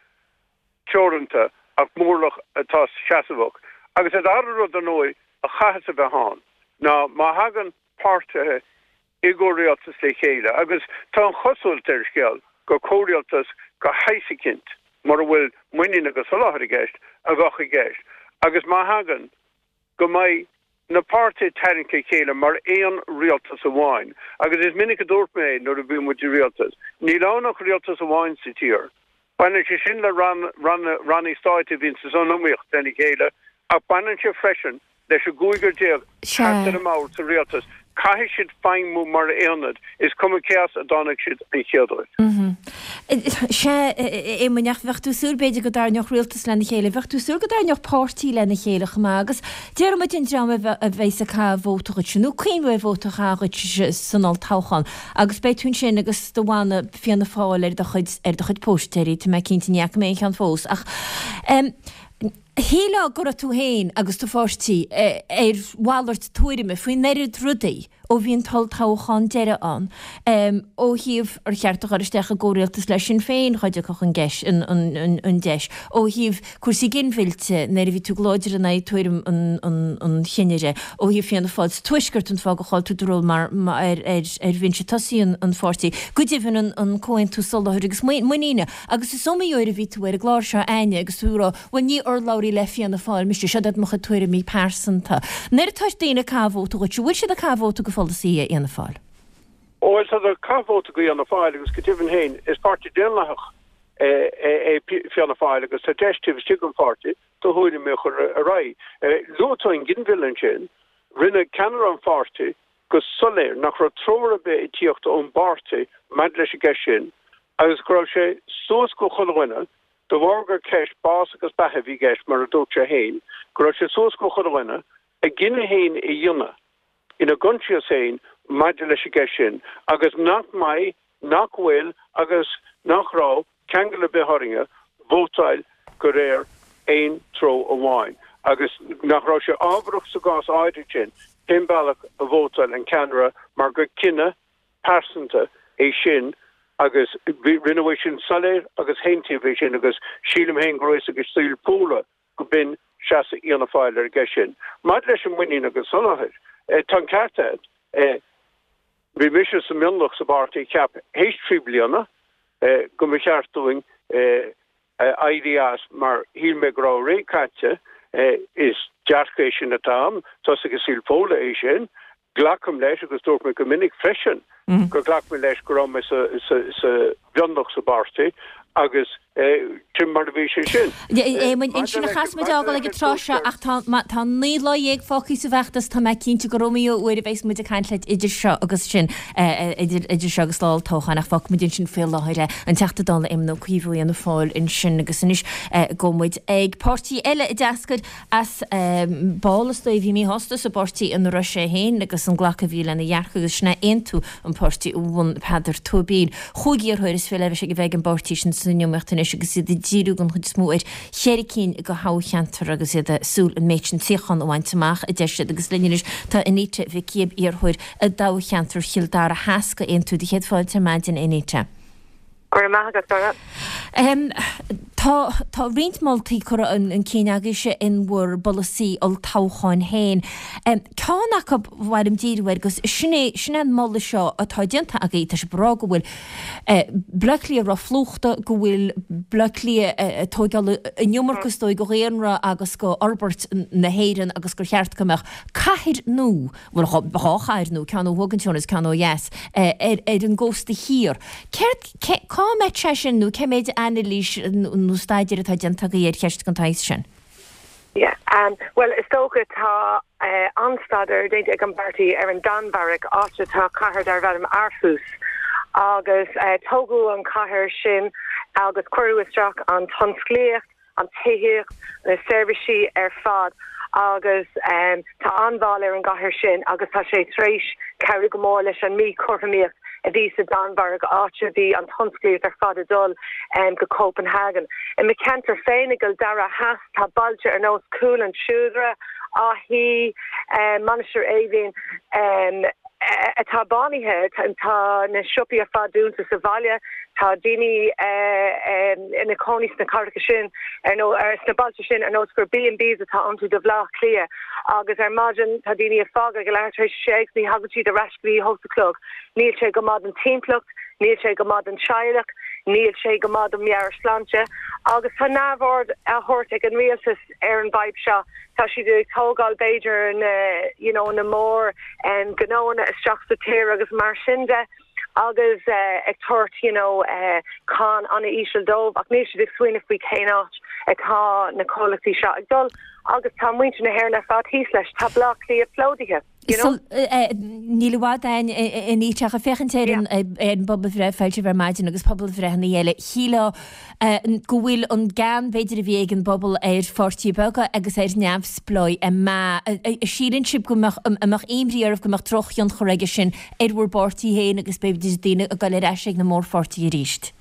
S8: teoranta ach mórlach atá seasmhach. Agus an dara rud ar ndóigh a chaithfeas a bheith ann ná má thagann páirtithe i gcomhrialtas le chéile agus tá an chosúlacht ar an scéal gur comhrialtas de shaghas eicínt, mura bhfuil muinín agus soláthar i gceist, a bheadh i gceist agus má thagann, go mbeidh na páirtithe ag tarraingt le chéile mar aon rialtas amháin. Agus is minic a dúirt mé nuair a bhí muid i rialtas, níl ann ach rialtas amháin sa tír. Baineann sé sin le ranna stáit a bhíonn san iomaíocht lena chéile ach baineann sé freisin leis an gcúigear thart ar an mbord sa rialtas. Caithfidh siad feidhmiú mar aonad, is cuma cé as a dtáinig siad an chéad uair.
S1: Sea, a Éamoinn, ach bheadh tú ag súil b'fhéidir go dtarraingeodh rialtas lena chéile, bheadh tú ag súil go dtarraingeodh páirtí lena chéile chomh maith agus déarfaidh muid an dream a bheas ag caitheamh vóta dhuitse, nó cuimhniú ar vóta a chaitheamh dhuitse san olltoghchán agus beidh tú ansin agus do mhana Fianna Fáil ar do chuid, ar do chuid póstaeirí, tá mé cinnte, ní fhaca mé aon cheann fós, ach em shílfeá go raibh tú féin agus do pháirtí ar mhalairt tuairime faoin oiread rudaí ó bhí an t-olltoghchán deiridh ann, em ó thaobh ar cheart a dhul isteach i gcomhrialtas le Sinn Féin dhá dtiocfadh an geis, an, an, an, an deis, ó thaobh cúrsaí ginmhillte, nuair a bhí tú go láidir in aghaidh tuairim an, an, an chinnire, ó thaobh Fianna Fáil sa Tuaisceart, an fáth gur chaill tú do ról mar, ar, ar, ar bhinse tosaigh an pháirtí. Go deimhin an, an Comhaontú Soláthair agus Muiníne. Agus is iomaí uair a bhí tú ar an gclár seo againne agus tú ag rá, bhuel ní urlabhraí le Fianna Fáil mise, seo iad mo chuid tuairimí pearsanta. Nuair atá daoine ag caitheamh vóta dhuit, an bhfuil siad ag caitheamh vóta go pholasaithe Fhianna Fáil?
S8: Ó bhuel, tá siad ag caitheamh vóta go Fhianna Fáil agus go deimhin féin is páirtí daonlathach é Fianna Fáil agus tá deis taobh istigh den pháirtí do thuairimí a chur ar aghaidh. Luaigh tú an ginmhilleadh ansin. Rinne ceannaire an pháirtí go soiléir nach raibh treoir ar bith ag tíocht ón bpáirtí maidir leis an gceist sin agus go raibh sé suas go chuile dhuine, de bharr gur ceist bás agus beatha a bhí i gceist, mar a dúirt sé féin, go raibh sé suas go chuile dhuine a gcinneadh féin a dhéanamh ina gcoinsias féin maidir leis an gceist sin agus nach mbeidh, nach bhfuil agus nach raibh ceangal ar bith orainne vótáil de réir aon treo amháin agus nach raibh sé ábharach sa gcás áirid sin cén bealach a vótáil an ceannaire mar gur cinneadh pearsanta é sin agus rinneadh é sin soiléir agus aontaíodh é sin agus sílim féin go raibh a fhios ag saol Fódhla go b'in seasamh Fhianna Fáil ar an gceist sin. Maidir leis an muinín agus soláthar, tá an ceart agat. Bhí mise sa mionlach sa bpáirtí a cheap théis 3 bliana go mba cheart dúinn éirí as mar shíl mé go raibh a ré caite. Is dearcadh é sin atá a'm, tá a fhios ag saol Fódhla é sin. Glacaim leis, agus dúirt mé go minic freisin gur ghlac mé leis go raibh mé sa mhionlach sa bpáirtí agus sin mar a bhí sé sin.
S1: Éamoinn, ansin a chaithfeas muid fhágáil ag an tráth seo ach tá 19 lá fágtha sa bhfeachtas, tá mé cinnte gur iomaí uair a bheas muid ag caint leat idir seo agus sin, idir seo agus lá an toghcháin ach fágfaidh muid ansin faoi láthair é. An Teachta Dála Éamon Ó Cuív ó Fhianna Fáil ansin agus anois gabhfaidh muid ag páirtí eile a d'eascair as ball is dóigh a bhí míshásta sa bpáirtí ina raibh sé féin agus an glacadh a bhí lena dhearcadh agus sin é Aontú an páirtí a bhunaigh Peadar Tóibín. Chúig iarrthóir is fiche le bheith ag an bpáirtí sin san iomaíocht anois. anois agus iad ag díriú den chuid is mó ar cheithre cinn de thoghcheantair agus iad ag súil an méid sin suíochán a bhaint amach, a deir siad. Agus linn anois tá Anita Mhic Gibb, iarrthóir i dtoghcheantar Chill Dara Theas do Aontú. Do chéad fáilte ar maidin, Anita.
S9: Go raibh maith agat, Dara.
S1: Tá tá roinnt moltaí curtha chun cinn agaibhse in bhur bpolasaí olltoghcháin féin. Ceann acu ba mhaith liom díriú air agus sin é sin é an moladh seo atá déanta agaibh, tá sibh ag rá go bhfuil Baile Átha Cliath róphlúchta, go bhfuil Baile Átha Cliath ag tóigeáil an iomarca is dóigh de dhaonra agus de fhorbairt na hÉireann agus gur cheart go mbeadh cathair nua, bhuel dhá chathair nua, ceann ó thuaidh den teorainn agus ceann ó dheas, ar an gcósta thiar. Céard, cé, cá mbeadh sé sin nó cé méid anailís nó staidéir atá déanta agaibh ar cheist den tsaghas sin?
S9: Yeah, bhuel is dócha tá an-staidéar déanta ag an bpáirtí ar an Danmhairg, áit atá cathair darbh ainm Aarhus agus tógadh an chathair sin agus cuireadh isteach an tionsclaíocht, an tithíocht, na seirbhísí ar fad agus tá an-bhail ar an gcathair sin agus tá sé tar éis cabhrú go mór leis an míchothromaíocht a bhí sa Danmhairg, áit a bhí an tionsclaíocht ar fad ag dul go Copenhagen. I mo cheantar féin i gCill Dara Theas tá bailte ar nós Cúil an tSeodra, Áth Í, Mainistir Eimhín, atá bánaithe, tá na siopaí ar fad dúnta sa bhaile, tá daoine ina cónaí sna cathracha sin, ar nó sna bailte sin ar nós gur B&Bs atá iontu do Bhaile Átha Cliath agus ar maidin tá daoine ag fágáil ag a leathuair tar éis a sé agus ní thagann siad ar ais go dtí a hocht a chlog. Níl sé go maith don timpeallacht, níl sé go maith don teaghlach, níl sé go maith don meabhairshláinte agus tá neamhaird á thabhairt ag an rialtas ar an bhfadhb seo. Tá siad ag tógáil b'fhéidir na you know na mór gnóanna isteach sa tír agus mar sin de agus ag tabhairt you know cáin an-íseal dóibh ach níl siad ag smaoineamh faoi cén áit atá na comhlachtaí seo ag dul agus tá muintir na hÉireann ar fad thíos leis. Tá Baile Átha Cliath plódaithe.
S1: You know? Níl i bhfad a'inn Anita ach ag féachaint ar an bpobalbhreith a foilsíodh ar maidin agus pobalbhreitheanna eile, shílfeá go bhfuil an gean b'fhéidir a bhí ag an bpobal ar pháirtithe beaga agus ar neamhspleáigh ag meath. Síleann sibh go mbeadh, an mbeadh imní oraibh go mbeadh drochthionchar aige sin ar bhur bpáirtí féin agus b'fhéidir daoine ag dul ar ais ag na mórpháirtithe arís?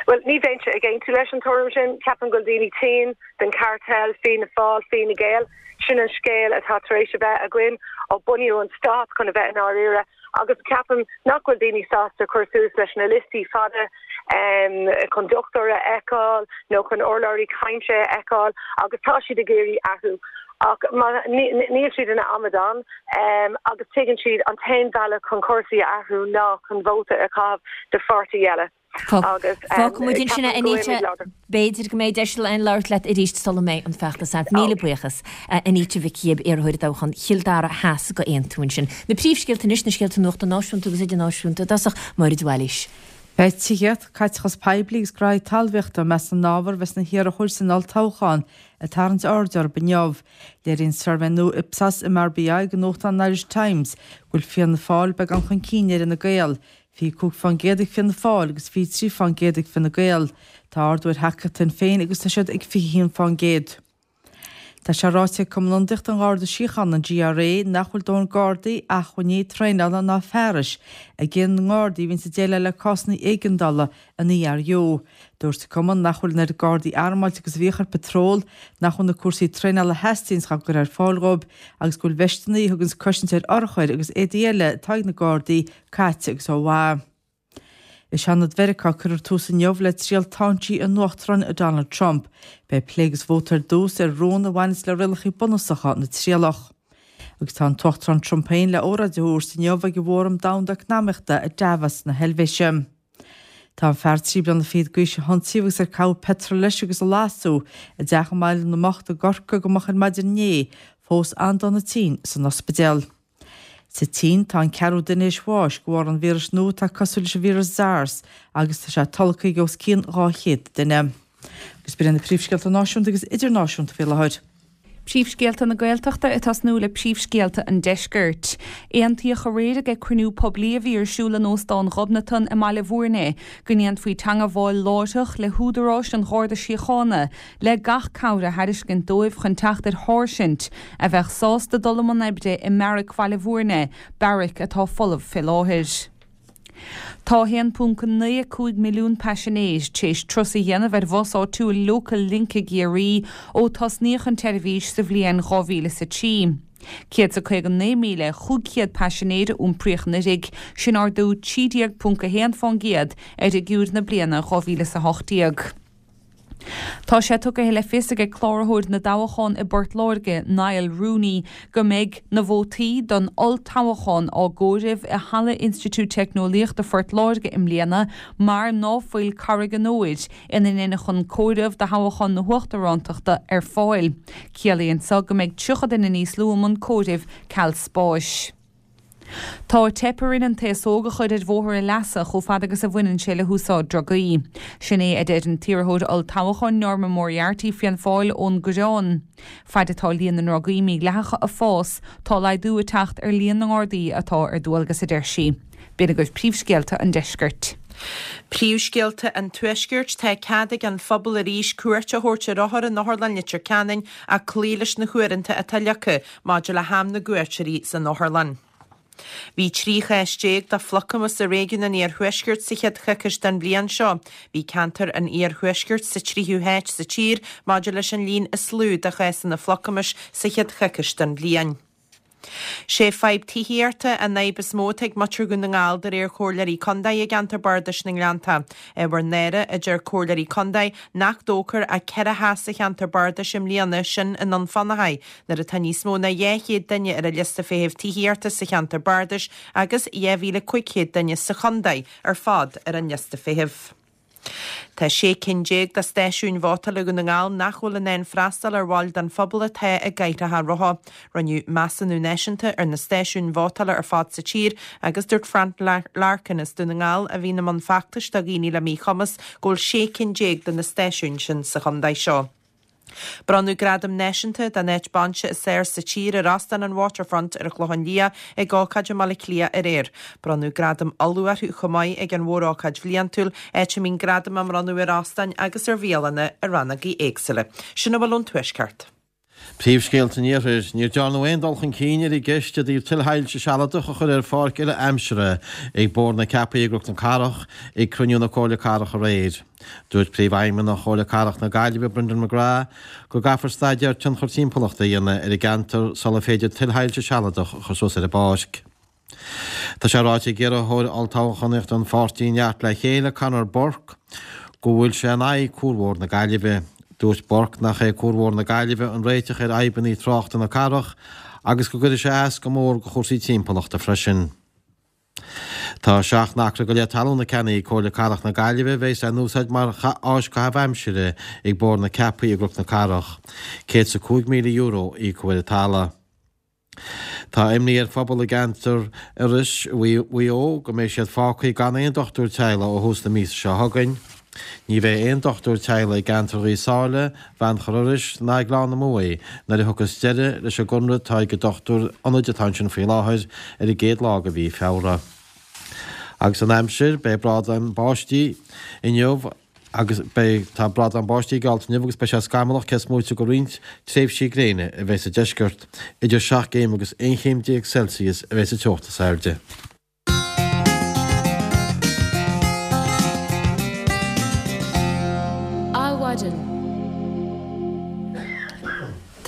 S9: Bhuel, ní bheinnse ag aontú leis an tuairim sin. Ceapaim go bhfuil daoine tinn den cartel Fianna Fáil, Fine Gael. Sin an scéal atá tar éis a bheith againn ó bunaíodh an stát, chun a bheith i ndáiríre, agus ceapaim nach bhfuil daoine sásta cur suas leis na liostaí fada chun dochtúir a fheiceáil nó chun urlabhraí cainte a fheiceáil agus tá siad ag iarraidh athrú. Ach níl siad ina amadáin agus tuigeann siad an t-aon bhealach chun cúrsaí a athrú ná chun vóta a chaitheamh do pháirtí eile.
S1: Agus Fágfaidh muid ansin é, Anita. B'fhéidir go mbeidh deis againn labhairt leat arís sula mbeidh an feachtas thart. Míle buíochas, Anita Mhic Gibb, iarrthóir i dtoghchán Chill Dara Theas do Aontú ansin. Na príomhscéalta anois, na scéalta nuachta náisiúnta agus idirnáisiúnta i dtosach, Máire de Bhailís.
S2: Beidh tithíocht, caiteachas poiblí agus gnáithí talmhaíochta i measc na n-ábhar a bheas na hiarrthóirí san olltoghchán ag tarraingt aird orthu inniu. Léiríonn suirbhé nua Ipsos MRBI do nuachtán an Irish Times go bhfuil Fianna Fáil beagán chun cinn ar Fhine Gael, 25% ag Fianna Fáil agus 23% ag Fine Gael. Tá ardú ar thacaíocht Shinn Féin agus tá siad ag 21%. Tá sé ráite ag Cumann Ionadaíochta an Gharda Síochána, an GRA, nach bhfuil dóthain gardaí, acmhainní, traenála ná fearais ag na ngardaí a bhíonns ag déileáil le cásanna éigeandála an ERU. Dúirt an Cumann nach bhfuil an oiread gardaí armáilte agus a bhíodh ar patról, nach bhfuil na cúrsaí traenála a theastaíonns á gcur ar fáil dhóibh agus go bhfuil veisteanna a thuganns cosaint ar urchair agus éadaí eile atá ag na gardaí caite agus ó mhaith. I Seanad Mheiriceá cuirfear tús inniu le triail táinsí an Uachtaráin Donald Trump. Beidh plé agus vóta ar dtús ar rún a bhaineas le rialacha bunúsacha na trialach. Agus tá an tUachtarán Trump féin le óráid a thabhairt inniu ag an bhFóram Domhanda Eacnamaíochta i Davos na hEilvéise. Tá an fear 23 bliana d'aois a hionsaíodh agus ar caitheadh peitreal leis agus a lasadh i dteach i mBaile na mBocht i gCorcaigh go moch ar maidin inné, fós an-dona tinn san ospidéal. Sa tSín, tá an ceathrú duine théis bháis de bharr an víris nua atá cosúil leis an víreas SARS agus tá sé tolgtha ag os cionn 200 duine. Agus b'in iad na príomhscéalta náisiúnta agus idirnáisiúnta faoi láthair.
S3: Príomhscéalta na Gaeltachta ag tosnú le príomhscéalta an Deiscirt. Aontaíodh aréir ag cruinniú poiblí a bhí ar siúl in Óstán Ghobnatan i mBaile Bhúirne go ndéanfaí teangabháil láithreach le húdaráis an Gharda Síochána le gach cabhair a thairiscint dóibh chun teacht ar sháirsint a bheadh sásta dul i mbun oibre i mBeairic Bhaile Bhúirne, beairic atá folamh fé láthair. Tá 1.95 milliún paisinéir tar éis turas a dhéanamh ar bhus áitiúil Local Link i gCiarraí ó tosnaíodh an tseirbhís sa bhliain 2003. 159,500 paisinéir a iompraíodh anuraidh, sin ardú 13.1% ar fhigiúir na bliana 2018. Tá sé tugtha le fios ag Cláraitheoir na dToghchán i bPort Láirge, Niall Rooney, go mbeidh na vótaí don olltoghchán á gcomhaireamh i Halla Institiúid Teicneolaíochta Phort Láirge i mbliana mar ná fuil Carraig an Óir, ina ndeineadh an comhaireamh do thoghchán na huachtarántachta, ar fáil. Ciallaíonn so go mbeidh 30 duine níos lú i mbun comhairimh ceal spáis. Tá teip orainn an t-aos óg a chur ar bhóthar a leasa chomh fada agus a bhaineann sé le húsáid drugaí. Sin é a deir an t-iarrthóir olltoghcháin Norma Moriarty, Fianna Fáil, ón gCoireán. Faid atá líon na ndrugaí mídhleathacha ag fás, tá laghdú ag teacht ar líon na nGardaí atá ar dualgas, a deir sí. B'in agaibh príomhscéalta an deiscirt.
S4: Príomhscéalta an Tuaiscirt, Tá cead ag an phobal arís cuairt a thabhairt ar othair in Otharlann Leitir Ceanainn ach cloí leis na huaireanta atá leagtha maidir le ham na gcuairteoirí san otharlann. Bhí 13 chás de phlucamas i réigiún an Iarthuaiscirt sa chéad choicís den bhliain seo. Bhí ceantar an Iarthuaiscirt sa tríú háit sa tír maidir leis an líon is lú de chásanna phlucamais sa chéad choicís den bhliain. Sé fadhb tithíochta an fhadhb is mó atá ag muintir Dhún na nGall de réir chomhairleoirí contae i gceantar bardais na nGleannta. Ábhar náire, a deir comhairleoirí contae, nach dtógfar ach 4 theach sa cheantar bardais i mbliana, sin i nDún Fionnachaidh, nuair atá níos mó ná 200 duine ar an liosta feithimh tithíochta sa cheantar bardais agus 2,500 duine sa chontae ar fad ar an liosta feithimh. Tá 16 cinn de stáisiúin vótála Dhún na nGall nach bhfuil in ann freastal ar bhaill den phobal atá i gcathaoireacha rotha. Rinneadh measúnú náisiúnta ar na stáisiúin vótála ar fad sa tír agus dúirt Frank Larkin as Dún na nGall, a bhíonn i mbun feachtais do dhaoine le míchumas, go bhfuil 16 cinn de na stáisiúin sin sa chontae seo. Bronnadh gradam náisiúnta don áit bainse is fearr sa tír ar Óstán an Waterfront ar an Chlochán Liath ag ócáid i mBaile Átha Cliath aréir. Bronnadh gradam Uladh orthu chomh maith ag an mhórócáid bhliantúil, áit a mbíonn gradaim á mbronnadh ar óstáin agus ar bhialanna i rannógaí éagsúla. Sin a bhfuil ón Tuaisceart.
S5: Príomhscéalta an Iarthair, Níor dearnadh aon dul chun cinn ar an gceist i dtaobh tuilshoilse sealadach a chur ar pháirc uile-aimsire ag Bóthar na Ceapaí i gCnoc na Cathrach ag cruinniú na Comhairle Cathrach aréir. Dúirt Príomhfheidhmeannach Chomhairle Cathrach na Gaillimhe, Brendan McGrath, go gcaithfear staidéar tionchar timpeallachta a dhéanamh ar an gceantar sular féidir tuilshoilse sealadach a chur suas ar an bpáirc. Tá sé ráite ag iarrthóir olltoghchánaíochta an pháirtí Neart le Chéile, Conor Burke, go bhfuil sé in aghaidh Cuarbhóthar na Gaillimhe. Dúirt Burke nach é Cuarbhóthar na Gaillimhe an réiteach ar fhadhbanna tráchta na cathrach agus go gcuirfidh sé as go mór do chúrsaí timpeallachta freisin. Tá 7 n-acra go leith talún ceannaithe ag Comhairle Cathrach na Gaillimhe a bheas á n-úsáid mar áis caitheamh aimsire ag Bóthar na Ceapaí i gCnoc na Cathrach. €105,000 a íocadh ar an talamh. Tá imní ar phobal i gceantar Iorrais Mhaigh Eo go mbeidh siad fágtha gan aon dochtúir teaghlaigh ó thús na míosa seo chugainn. Ní bheidh aon dochtúir teaghlaigh i gceantar Ghaoth Sáile, Bheannchar Iorrais ná Ghleann na Muaidhe nuair a thiocfas deireadh leis an gconradh atá ag an dochtúir ionaid atá ansin faoi láthair ar an gcéad lá de mhí Feabhra. Agus an aimsir, beidh brádán báistí inniu agus beidh tá brádán báistí geallta inniu agus beidh sé scamallach cé is móite de roinnt tréimhsí gréine a bheidh sa deisceart. Idir 7 gcéim agus 11 chéim Celsius a bheidh sa teocht is airde.
S1: Adhmhaidin.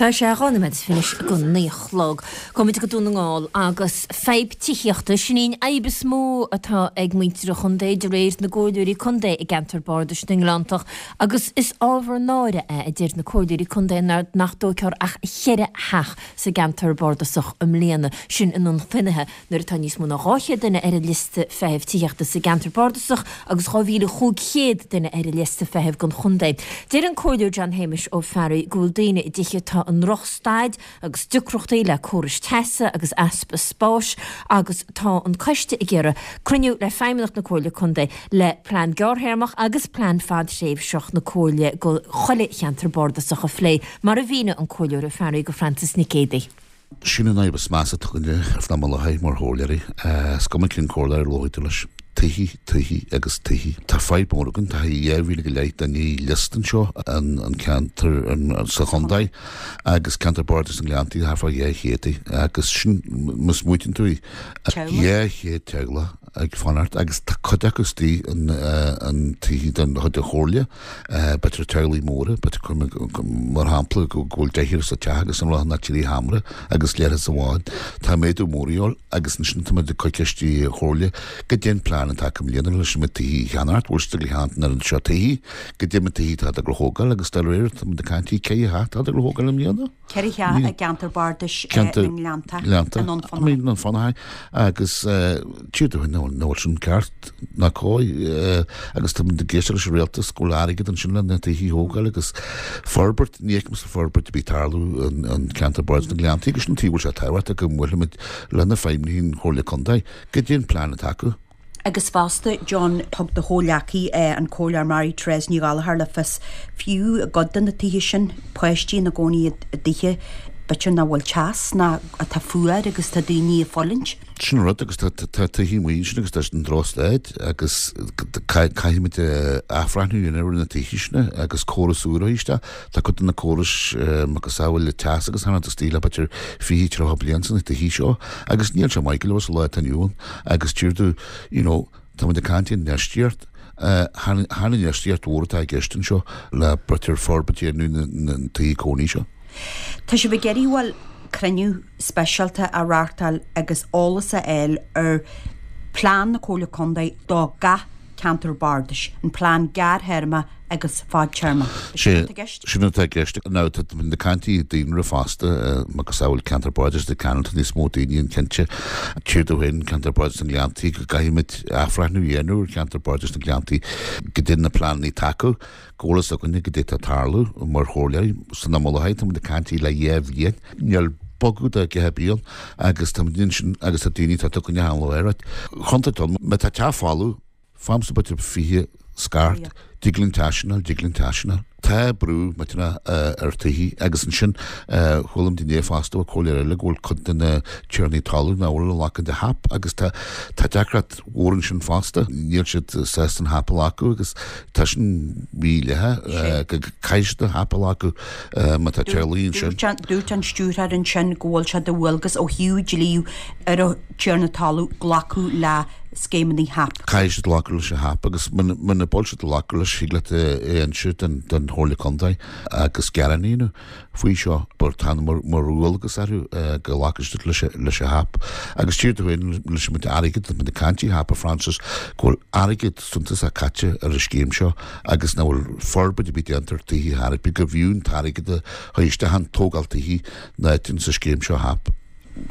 S1: Tá sé 2 nóiméad is 20 anois don 9 a chlog. Gabhfaimid go Dún na nGall agus fadhb tithíochta, sin í an fhadhb is mó atá ag muintir an chontae de réir na gcomhairleoirí contae i gceantar bardais na nGleanntach agus is ábhar náire é a deir na comhairleoirí contae nach dtógfar ach cheithre theach sa gceantar bardasach i mbliana, sin i nDún Fionnaithe. Nuair atá níos mó ná 200 duine ar an liosta feithimh tithíochta sa gceantar bardasach agus 2,500 duine ar an liosta feithimh don chontae. Deir an Comhairleoir John Shéamais Ó Fearraigh go bhfuil daoine i dtithe atá i ndrochstaid agus deacrachtaí le córais teasa agus easpa spáis agus tá an coiste ag iarraidh cruinniú le Feidhmeannacht na Comhairle Contae le plean gearrthéarmach agus plean fadtréimhseach na Comhairle go chuile cheantar bardasach a phlé, mar a mhínigh an Comhairleoir Ó Fearraigh go Frances Nic Géadaigh.
S10: Sin an fhadhb is measa atá againne faoi láthair mar chomhairleoirí. Is cuma cén comhairleoir a labhróidh tú leis. Tithe, tithe agus tithe. Tá fadhb mór againn, tá 2,000 go leith duine liosta anseo an ceantar sa chontae agus ceantar bardais na nGleanntaí thart fá 200 agus sin má smaoitíonn tú 200 teaghlach ag fanacht agus tá cuid acu istigh in tithe den chuid den chomhairle, b'fhéidir teaghlaigh móra, b'fhéidir mar shampla go bhfuil deichniúr sa teach agus an rud ná trí sheomra agus leithreas amháin. Tá méadú mór a dhíobháil. Agus ansin tá muid ag cur ceist ar an Chomhairle goidé an plean atá acu i mbliana leis na tithe a cheannacht, bhfuil siad ag ceannacht an oiread seo tithe, goidé na tithe atá ag dul a thógáil agus dá réir tá muid ag caint faoi 4 theach atá ag dul a thógáil i mbliana.
S11: 4 theach i gceantar bardais na nGleannta, i nDún
S10: Fionnachaidh. I nDún Fionnachaidh agus tchífidh tú nach bhfuil sin ceart ná cóir agus tá muid ag éisteacht leis an rialtas go bhfuil airgead ansin le na tithe a thógáil agus forbairt, ní fheicimse forbairt ar bith ag tarlú in ceantar bardais na nGleanntaí agus sin an tuige a bhfuil sé tábhachtach go mbuailfimid le na feidhmeannaigh an Chomhairle Contae, goidé an plean atá acu.
S11: Agus fosta, John, thug do chomhghleacaí, an Comhairleoir Mary Therese Ní Ghallchóir le fios, fiú i gcuid de na tithe sin, páistí ina gcónaí i dtithe b'fhéidir nach bhfuil teas ná atá fuar agus tá daoine ag fulaingt.
S10: Sin an rud agus tá tithe amuigh ansin agus tá siad i ndrochstaid agus caithfimid athbhreithniú a dhéanamh ar na tithe sin agus córas úr a chur isteach. Tá cuid de na córais macasamhail le teas agus thar istigh le b'fhéidir 20, 30 bliain sna tithe seo agus níl sé maith go leor sa lá atá inniu ann agus deir tú you know táimid ag caint infheistíocht chan infheistíocht mhór atá i gceist anseo le b'fhéidir forbairt a dhéanamh na tithe cónaí seo.
S11: Tá sibh ag iarraidh bhuel cruinniú speisialta a reáchtáil agus eolas a fháil ar phlean na Comhairle Contae do gach ceantar bardais, an plean gearrthéarma agus fadtéarma.
S10: Sin atá i gceist? Sin atá i gceist. Now tá na caint daonra fosta, macasamhail ceantar bardais Leitir Ceanainn, tá níos mó daoine ann cinnte. Tchífidh tú féin ceantar bardais na nGleanntaí go gcaithfimid athbhreithniú a dhéanamh ar cheantar bardais na nGleanntaí, goidé na pleananna atá acu. go bhfuil fhios againne goidé atá ag tarlú mar chomhairleoirí san am i láthair, tá muid ag caint le dhá bhliain, níl bogadh dá gceithre bliain agus tá muid ansin agus tá daoine atá tugtha an lá ar chontae dom, má tá teach folamh, faighimse b'fhéidir 20 scairt, dtig linn teach sin a fháil, dtig linn teach sin a fháil. Tá brú millteanach ar tithe agus ansin chuala muid inné fosta ó comhairleoir eile go bhfuil cuid de na tiarnaí talún nach bhfuil ag glacadh de HAP agus tá tá deacracht mhór ansin fosta, níl siad sásta an HAP a ghlacadh agus Tá sin mídhleathach go gcaithfidh siad an HAP a ghlacadh má tá teaghlaigh ansin.
S11: Dúirt an stiúrthóir ansin go bhfuil sé de dhualgas ó thaobh dlí ar an tiarna talún glacadh le scéimeanna HAP.
S10: Caithfidh siad glacadh leis an HAP agus muna bhfuil siad ag glacadh leis thig leat é a inse don Chomhairle Contae agus gearán a dhéanamh. faoi seo, but tá mar dhualgas orthu go nglacfaidh siad leis an HAP. Agus tchífidh tú féin leis an méid airgid, tá muid ag caint faoi HAP a Francis, go bhfuil airgead suntasach caite ar an scéim seo agus nach bhfuil forbairt ar bith déanta ar tithe ar bith, gurbh fhiú an t-airgead a chur isteach in tógáil tithe ná ins an scéim seo HAP.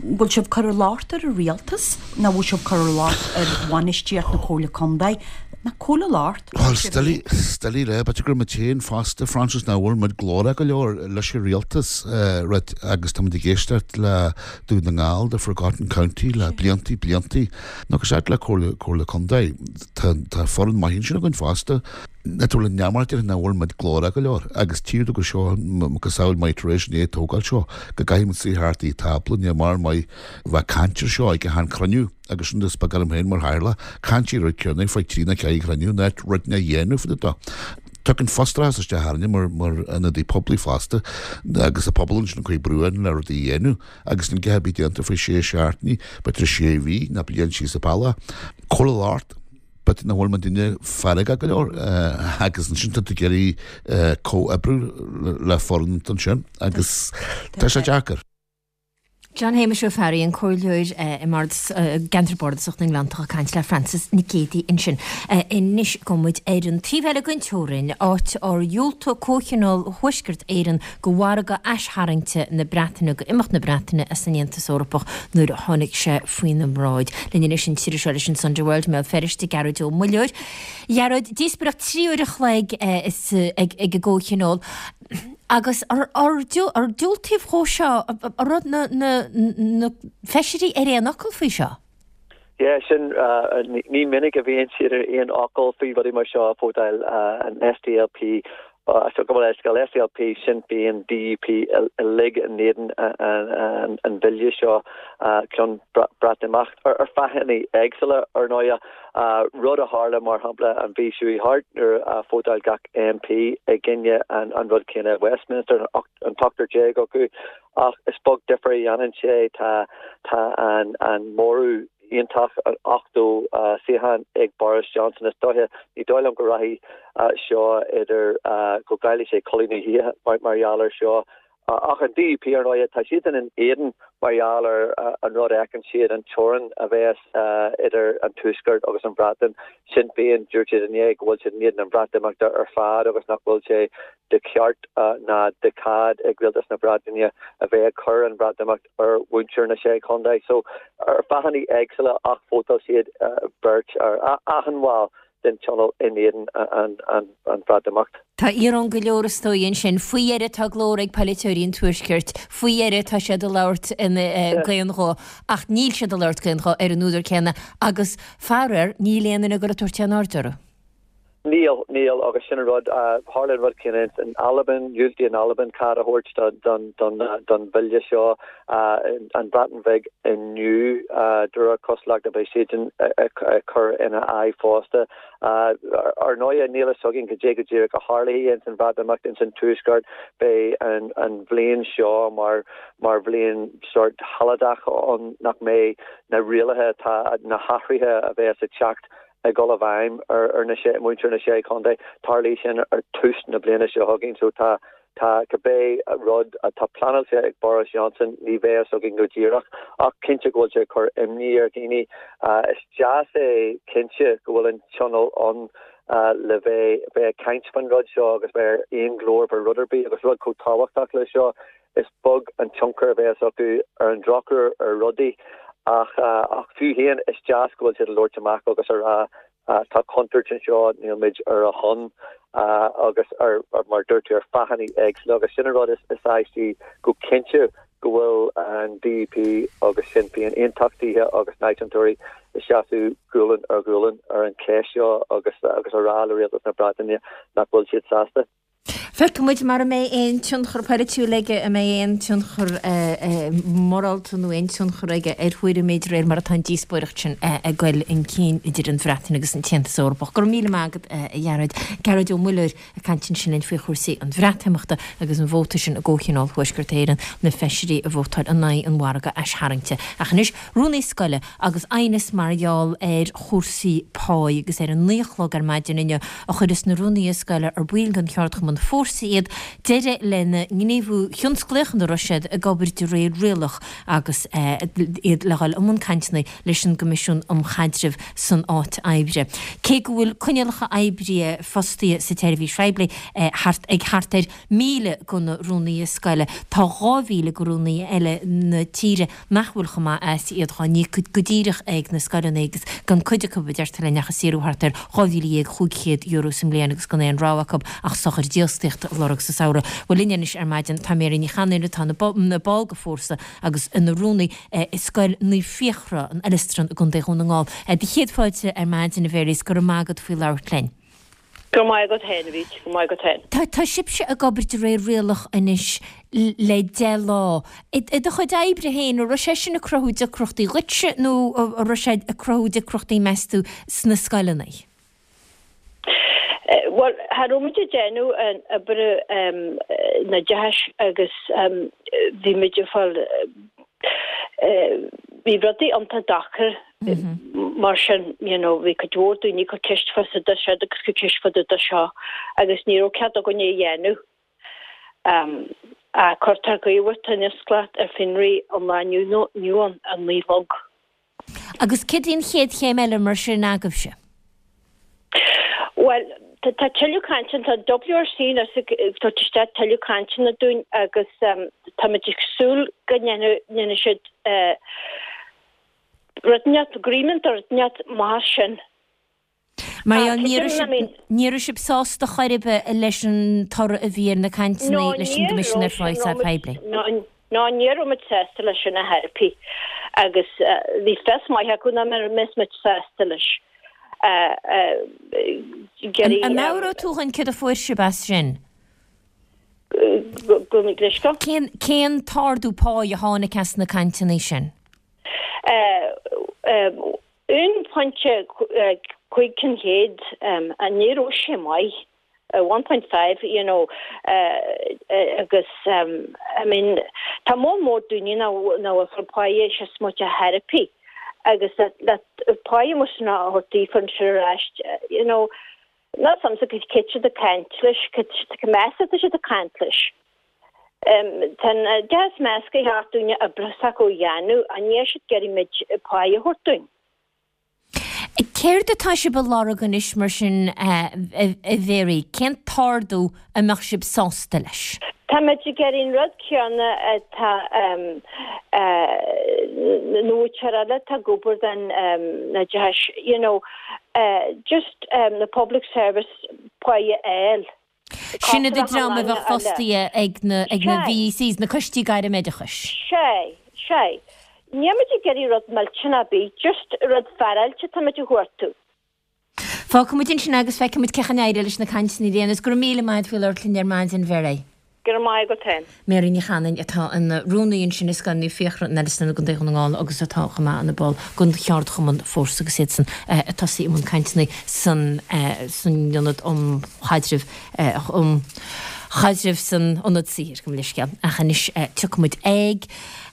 S11: Bhfuil sibh ag cur an locht ar an rialtas nó bhfuil sibh ag cur an locht ar bhainistíocht na Comhairle Contae? Nó cá bhfuil an locht?
S10: Bhuel, is doiligh a rá, b'fhéidir gur muid féin fosta, Francis, nach bhfuil muid glórach go leor leis an rialtas, right, agus tá muid ag éisteacht le Dún na nGall, the forgotten county, le bliantaí, bliantaí. Nó go seacht le Comhairle, Comhairle Contae, tá, tá foireann maith ansin againn fosta. Tá tú le neamart ar nach bhfuil muid glórach go leor agus tchífidh tú go seo macasamhail maith tar éis an é tógáil seo go gcaithfidh muid suí thart ag tábla ní mar maith bheith caint ar seo ag achan cruinniú agus sin is beag orm féin mar chathaoirleach caint ar rud céanna faoi trí nó ceathair chruinniú ná rud ná dhéanamh faoi do Tagann frustrachas isteach orainne mar mar ionadaí poiblí fosta agus an pobal ansin ag cur brú orainn le rudaí a dhéanamh agus níl a dhath ar bith déanta faoi sé seachtainí b'fhéidir sé mhí ná bliain síos an bealach. Cá bhfuil an locht. B'fhéidir nach bhfuil muidinne feargach go leor agus ansin tá tú ag iarraidh comhoibriú le foireann ansin agus tá sé deacair.
S1: John Shéamais Ó Fearraigh, an comhairleoir i gceantar bardasach na nGleanntach ag caint le Frances Nic Géadaigh ansin. Anois gabhfaidh muid ar an taobh eile den teorainn, áit ar dhiúltaigh Comhthionól Thuaisceart Éireann do mhargadh aistharraingte na Breataine, do imeacht na Breataine as an Aontas Eorpach nuair a tháinig sé faoina mbráid. Linn anois an t-iriseoir leis an Sunday World i mBéal Feirste, Gearóid Ó Muilleoir. A Ghearóid, díospóireacht 3 uair a chloig ag an gComhthionól agus ar diúltaíodh dhó seo, an raibh na feisirí ar aon fhocal faoi seo?
S12: Yeah, sin, ní minic a bhíonn siad ar aon fhocal faoi rudaí mar seo, vótáil an SDLP. So gabh mo leithscéal, SDLP, Sinn Féin, DUP uilig in éadan an bhille seo, ceann Breatimeacht, ar fáthanna éagsúla ar ndóighe. Rud a tharla mar shampla an mhí seo thart nuair a vótáil gach MP i gcoinne an rud céanna i Westminster, an t-ochtar déag acu, ach is beag difear a dhéanann sé, tá an móramh iontach, 80 suíochán ag Boris Johnson. Is dóiche, ní dóigh liom go rachaidh seo idir, go gcaillfidh sé codladh na hoíche mar gheall air seo. Ach an DUP, ar ndóighe, tá siadsan in éadan mar gheall ar an rud a fheiceann siad, an teorainn a bheas idir an Tuaisceart agus an Bhreatain. Sinn Féin, dúirt siad inné go bhfuil siad in éadan an Bhreatimeachta ar fad agus nach bhfuil sé de cheart ná de chead ag Rialtas na Breataine a bheith ag cur an Bhreatimeacht ar mhuintir na Sé Chontae. So, ar fáthanna éagsúla ach vótáil siad beirt ar achan bhall den Tionól in éadan an Bhreatimeacht.
S1: Tá íoróin go leor is dóigh ansin. Faoi dheireadh tá glór ag polaiteoirí an Tuaiscirt. Faoi dheireadh tá siad ag labhairt d'aon ghuth. Ach níl siad ag labhairt d'aon ghuth ar an údar céanna agus, faraor, níl aon duine ag dul ag tabhairt aon aird orthu.
S12: Níl, níl, agus sin an rud. Tharla an rud céanna in Albain, dhiúltaigh an Albain cead a thabhairt don bhille seo. An Bhreatain Bheag inniu, de réir cosúlachta, beidh siadsan ag cur ina aghaidh fosta. Ar ndóighe, níl a fhios againn cad é go díreach a tharlóidh ins an Bhreatimeacht ins an Tuaisceart. Beidh an bhliain seo mar mar bhliain sórt shealadach ann nach mbeidh na rialacha atá, na hathruithe a bheas ag teacht ag dul i bhfeidhm ar na sé, muintir na Sé Chontae. Tarlóidh sin ar tús na bliana seo chugainn so tá, tá cibé rud atá pleanáilte ag Boris Johnson ní bheidh a fhios againn go díreach ach cinnte go bhfuil sé ag cur imní ar dhaoine. Is deas é cinnte go bhfuil an Tionól ann le bheith, bheith ag caint faoin rud seo agus bheith ar aon ghlór fá rud ar bith agus rud chomh tábhachtach le seo. Is beag an tionchar a bheas acu ar an drochuair ar rudaí ach ach fiú féin is deas go bhfuil siad ag labhairt amach agus a rá tá contúirt anseo, níl muid ar a shon agus ar mar dúirt tú ar fáthanna éagsúla agus sin an rud is aistí go cinnte go bhfuil an DUP agus Sinn Féin, aontachtaithe agus náisiúntóirí ag seasamh gualainn ar ghualainn ar an cheist seo agus agus a rá le Rialtas na Breataine nach bhfuil siad sásta.
S1: Feicfidh muid mara mbeidh aon tionchar polaitiúil aige, an mbeidh aon tionchar morálta nó aon tionchar aige ar thuairimí de réir mar atá an díospóireacht sin ag goil chun cinn idir an Bhreatain agus an tAontas Eorpach. Go raibh míle maith agat, a Ghearóid. Gearóid Ó Muilleoir ag caint ansin linn faoi chúrsaí an Bhreatimeachta agus an vóta sin i gComhthionól Thuaisceart Éireann, na feisirí a vótáil in aghaidh an mhargaidh aistharraingte. Ach anois, rúnaí scoile agus aighneas mar gheall ar chúrsaí páí agus ar a naoi a chlog ar maidin inniu a chuireas na rúnaithe scoile ar baill den cheardchumann Fórsa iad, deireadh lena ngníomhú thionsclaíoch ina raibh siad ag obair de réir rialach agus iad le dhul i mbun cainteanna leis an gCoimisiún um Chaidreamh san Áit Oibre. Cé go bhfuil coinníollacha oibre fostaithe sa tseirbhís phoiblí thart ag thart ar 1,000 de na rúnaithe scoile, tá 2,000 de rúnaithe eile na tíre nach bhfuil chomh maith as iad dhá n-íoc go díreach ag na scoileanna agus gan cuid acu, a deirtear linn, ach ag saothrú thart ar €12,500 sa mbliain agus gan aon rogha acu ach sochar dífhostaíochta a lorg sa samhradh. Bhuel linn anois ar maidin tá Mary Ní Chanainn atá ina ball de Fórsa agus ina rúnaí i Scoil Naomh Fiachra, an Oileastran i gContae Dhún na nGall. Do chéad fáilte ar maidin, a Mhary, is go raibh maith agat faoi labhairt linn.
S13: Go raibh maith agat féin, a Bhríd, go raibh maith agat féin.
S1: Tá, tá sibhse ag obair de réir rialach anois le 10 lá. I do chuid oibre féin, an raibh sé sin ag cruthú deacrachtaí dhuitse nó an raibh sé ag cruthú deacrachtaí, meas tú, sna scoileanna?
S13: Bhuel, cha raibh muid ag déanamh an obair an oideachais agus bhí muid ag fáil, bhí rudaí iontach deacair mar sin, you know, bhí cuid mhór daoine ag cur ceist fá seo siúd agus cur ceist fá dtaobh de seo agus ní raibh cead againn é a dhéanamh. Ach cuirtear gníomhaíocht thionsclaíoch ar fionraí ón lá inniu ann, a 9 a chlog.
S1: Agus céard í an chéad chéim eile mar sin agaibhse?
S13: Bhuel, tá tuilleadh cainteanna, tá WRC anois ag tabhairt isteach tuilleadh cainteanna dúinn agus táimid ag súil go ndéanfaidh siad rud inteacht, agreement nó rud inteacht mar sin.
S1: Mar gheall, ní raibh sibh, ní raibh sibh sásta chor ar bith leis an toradh a bhí ar na cainteanna leis an gCoimisiún ar Phá sa Phoiblí.
S13: Ná ní raibh muid sásta leis sin ar chor ar bith agus bhí fios maith acu nach mbeadh muid sásta leis.
S1: An meabhróidh tú dhúinn céard a fuair sibh as sin?
S13: Gabh mo leithscéal.
S1: Cén, cén t-ardú páí a tháinig as na cainteanna sin?
S13: 1.5%, ní raibh sé maith, 1.5 you know agus I mean tá moll mór daoine nach bhfuil ag fáil páighe síos muid a therapy agus le páighe mar sin a thabhairt daofa ansin ar ais you know níl a fhios a'msa cé tá siad ag caint leis, cé meas atá siad ag caint leis. Tá an oideachas measctha cheart dúinne oibre s'acu a dhéanamh, ach níl siad ag iarraidh muid páighe a thabhairt dúinn.
S1: Céard atá sibh a lorg anois mar sin a Mhary? Cén t-ardú a mbeadh sibh sásta leis?
S13: Tá muid ag iarraidh an rud céanna atá na múinteoirí eile atá ag obair don oideachas, you know, just na public service páighe a fháil.
S1: Sin iad an dream a bheadh fostaithe ag na ag na VECs, na Coistí Gairmoideachais.
S13: Sea, sea. Níl muid ag iarraidh rud millteanach ar bith, just rud féaráilte atá muid a chuartú.
S1: Fágfaidh muid ansin é agus feicfidh muid cén chaoi a n-éireoidh leis na cainteanna ar aon nós. Go raibh míle maith agat faoi labhairt linn ar maidin, Mhary.
S13: Go raibh maith agat féin.
S1: Mary Ní Chanainn atá ina rúnaí ansin i Scoil Naomh Fiachra in Nelson i gContae Dhún na nGall agus atá chomh maith ina ball den cheardchumann Fórsa agus iadsan ag tosaí i mbun cainteanna san san Ionad um Chaidreamh um Chaidreamh san Ionad Saothair, gabh mo leithscéal. Ach anois tiocfaidh muid ag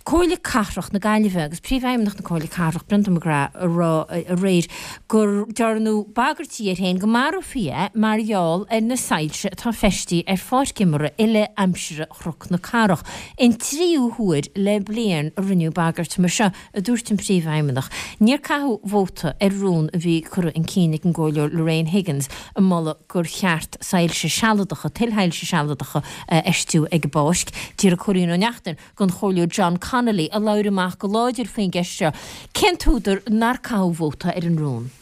S1: Comhairle Cathrach na Gaillimhe agus Príomhfheidhmeannach na Comhairle Cathrach, Brendan McGrath, a rá aréir gur dearnadh bagairtí air féin go marófaí é mar gheall ar na soilse atá feistithe ar pháirc imeartha uile-aimsire Chnoc na Cathrach. An tríú huair le bliain a rinneadh bagairt mar seo, a dúirt an Príomhfheidhmeannach. Níor caitheadh vóta ar rún a bhí curtha chun cinn ag an gComhairleoir Lorraine Higgins ag moladh gur cheart soilse sealadacha, tuilshoilse sealadacha, a fheistiú ag an bpáirc. D'iarr Cóilín Ó Neachtain den Chomhairleoir John Connolly, a labhair amach go láidir faoin gceist seo, cén t-údar nár caitheadh vóta ar an rún.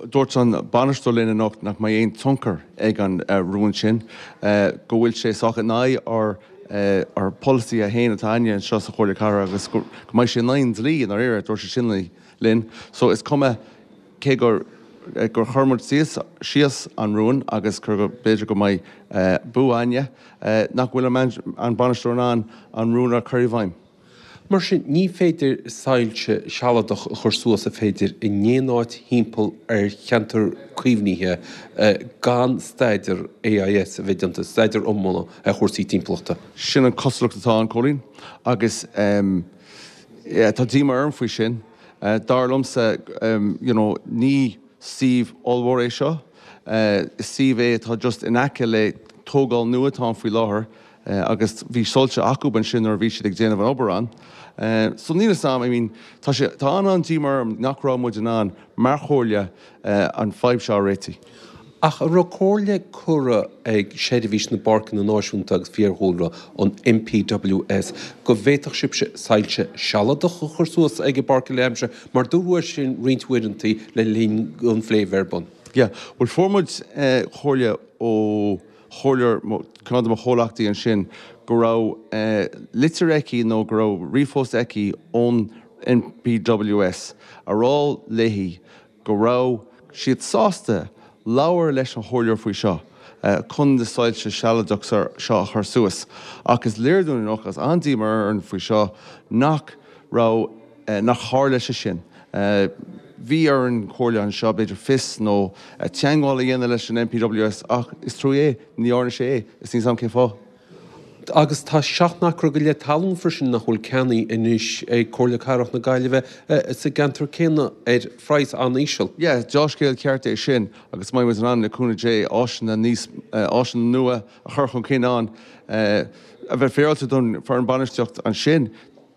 S14: Dúirt an bainisteoir linn anocht nach mbeidh aon tionchar ag an rún sin, go bhfuil sé sách in aghaidh ár ár polasaithe féin atá againne anseo sa Chomhairle Cathrach agus go mbeidh sé in aghaidh an dlí i ndáiríre, dúirt sé sin linn. So is cuma cé gur gur chuir muid síos síos an rún agus gur b'fhéidir go mbeidh bua againne, nach bhfuil an bainisteoir in ann an rún a chur i bhfeidhm.
S15: Mar sin, ní féidir soilse sealadach a chur suas a féidir in aon áit thimpeall ar cheantar caomhnaithe gan staidéar AIS a bheith déanta, staidéar iomlán ar chúrsaí timpeallachta.
S14: Sin an cosúlacht atá ann, Cóilín, agus tá díomá orm faoi sin. Dar liomsa, you know, ní suíomh ollmhór é seo. Is suíomh é atá just in aice le tógáil nua atá ann faoi láthair. agus bhí soilse acu ansin nuair a bhí siad ag déanamh an obair ann. So níl fhios a'm, I mean, tá sé, tá an-an-díomá orm nach raibh muid in ann mar chomhairle an fadhb seo a réitigh.
S15: Ach an raibh comhairle curtha ag Seirbhís na bPáirceanna Náisiúnta agus Fiadhúlra, an NPWS, go bhféadfadh sibhse soilse sealadach a chur suas ag an bpáirc uile-aimsire, mar dúradh é sin roinnt uaireanta le linn an phlé a bheith ar bun?
S14: Yeah, bhuel fuair muid comhairle ó chomhairleoir, ceann de mo chomhleachtaí ansin, go raibh litir aici nó go raibh ríomhphost aici ón NPWS a rá léi go raibh siad sásta labhair leis an chomhairleoir faoi seo chun na soilse sealadach seo a chur suas. Ach is léir dúinn anocht, agus an-díomá orainn faoi seo, nach raibh. nach tharla sé sin. Bhí ar an chomhairle anseo, b'fhéidir, fios nó teagmháil a dhéanamh leis an NPWS ach is trua é, ní dhearna sé é, is níl 's a'm cén fáth.
S15: Agus tá 7 n-acra go leith talún freisin nach bhfuil ceannaithe anois ag Comhairle Cathrach na Gaillimhe sa gceantar céanna ar phraghas an-íseal.
S14: Yeah, deá-scéal ceart é sin agus beidh muid in ann, le cúnamh Dé, áiseanna níos, áiseanna nua a chur chun cinn ann. A bheith féaráilte don foireann bainistíocht ansin,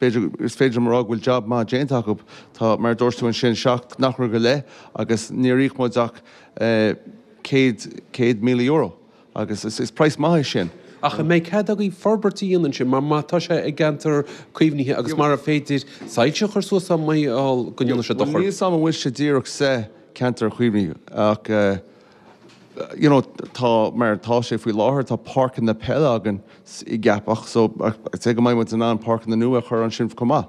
S14: B'fhéidir, is féidir liom a rá go bhfuil jab maith déanta acu. Tá, mar a dúirt tú ansin, 7 n-acra go leith agus níor íoc muid ach €100,000 agus is praghas maith é sin.
S15: Ach an mbeidh cead agaibh forbairt a dhéanamh ansin mar má tá sé i gceantar caomhnaithe agus mara féidir soilse a chur suas i mbaol go ndéanfaidh sé dochar?
S14: Níl 's a'm an bhfuil sé díreach sa cheantar caomhnaithe ach you know tá, mar atá sé faoi láthair, tá páirceanna peile againn i gCeapach so I'd say go mbeidh muid in ann páirceanna nua a chur ansin chomh maith.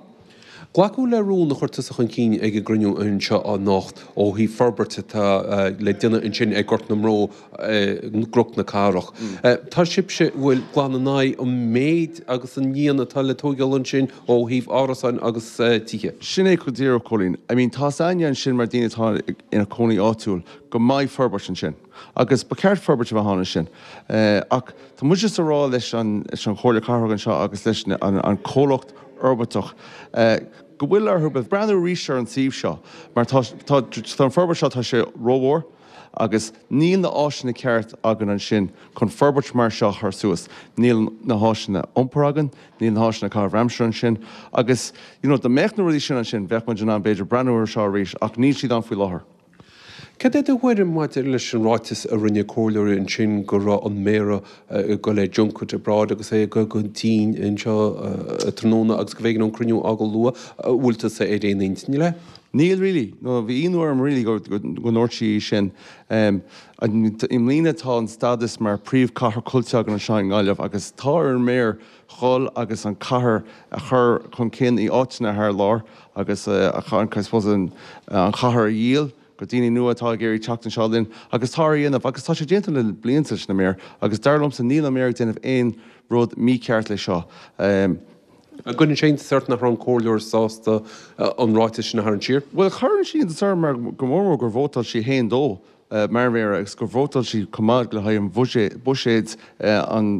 S15: Glacadh le rún a chuir tusa chun cinn ag an gcruinniú anseo anocht ó thaobh forbairt atá le déanamh ansin ag Gort na mBró i gCnoc na Cathrach. Tá sibhse, bhfuil, glan in aghaidh an méid agus an líon atá le tóigeáil ansin ó thaobh árasáin agus tithe.
S14: Sin é go díreach, Cóilín. I mean, tá's a'inne ansin mar daoine atá ina cónaí áitiúil go mbeidh forbairt ansin agus ba cheart forbairt a bheith ann ansin. Ach tá muid just a rá leis an Chomhairle Cathrach anseo agus leis an comhlacht fhorbairteach go bhfuil orthu breathnú arís ar an suíomh seo mar tá tá an forbairt seo tá sé rómhór agus níl na áiseanna ceart againn ansin chun forbairt mar seo a chur suas. Níl na háiseanna iompair againn, níl na háiseanna caitheamh aimsire ansin agus you know dá mbeadh na rudaí sin ansin bheadh muid in ann b'fhéidir breathnú ar seo arís ach níl siad ann faoi láthair.
S15: Cad é do thuairim maidir leis an ráiteas a rinne comhairleoirí ansin go raibh an Méara ag dul ar junket abroad agus é ag dul go dTsín anseo tráthnóna agus go mb'éigean an cruinniú a fhágáil luath? An bhfuil tusa ar aon intinn léi?
S14: Níl really. No, bhí ionadh orm really go ndúirt sí sin. I mbliana tá an stádas mar príomhchathair tuillte againn anseo i nGaillimh agus tá ar an Méara dhul agus an cathair a chur chun cinn i áiteanna thar lear agus I suppose an chathair a dhíol go daoine nua atá ag iarraidh teacht anseo linn agus tá ar a dhéanamh agus tá sé déanta le blianta leis an Méara agus dar liomsa níl an Méara ag déanamh aon rud mícheart le seo.
S15: An gcuireann sé iontas ort nach raibh an comhairleoir sásta an ráiteas sin a tharraingt siar?
S14: Bhuel cuireann sé iontas orm mar go mór mór gur vótáil sí féin dó. mar mhéara agus gur vótáil sí chomh maith le haghaidh an bhuiséid an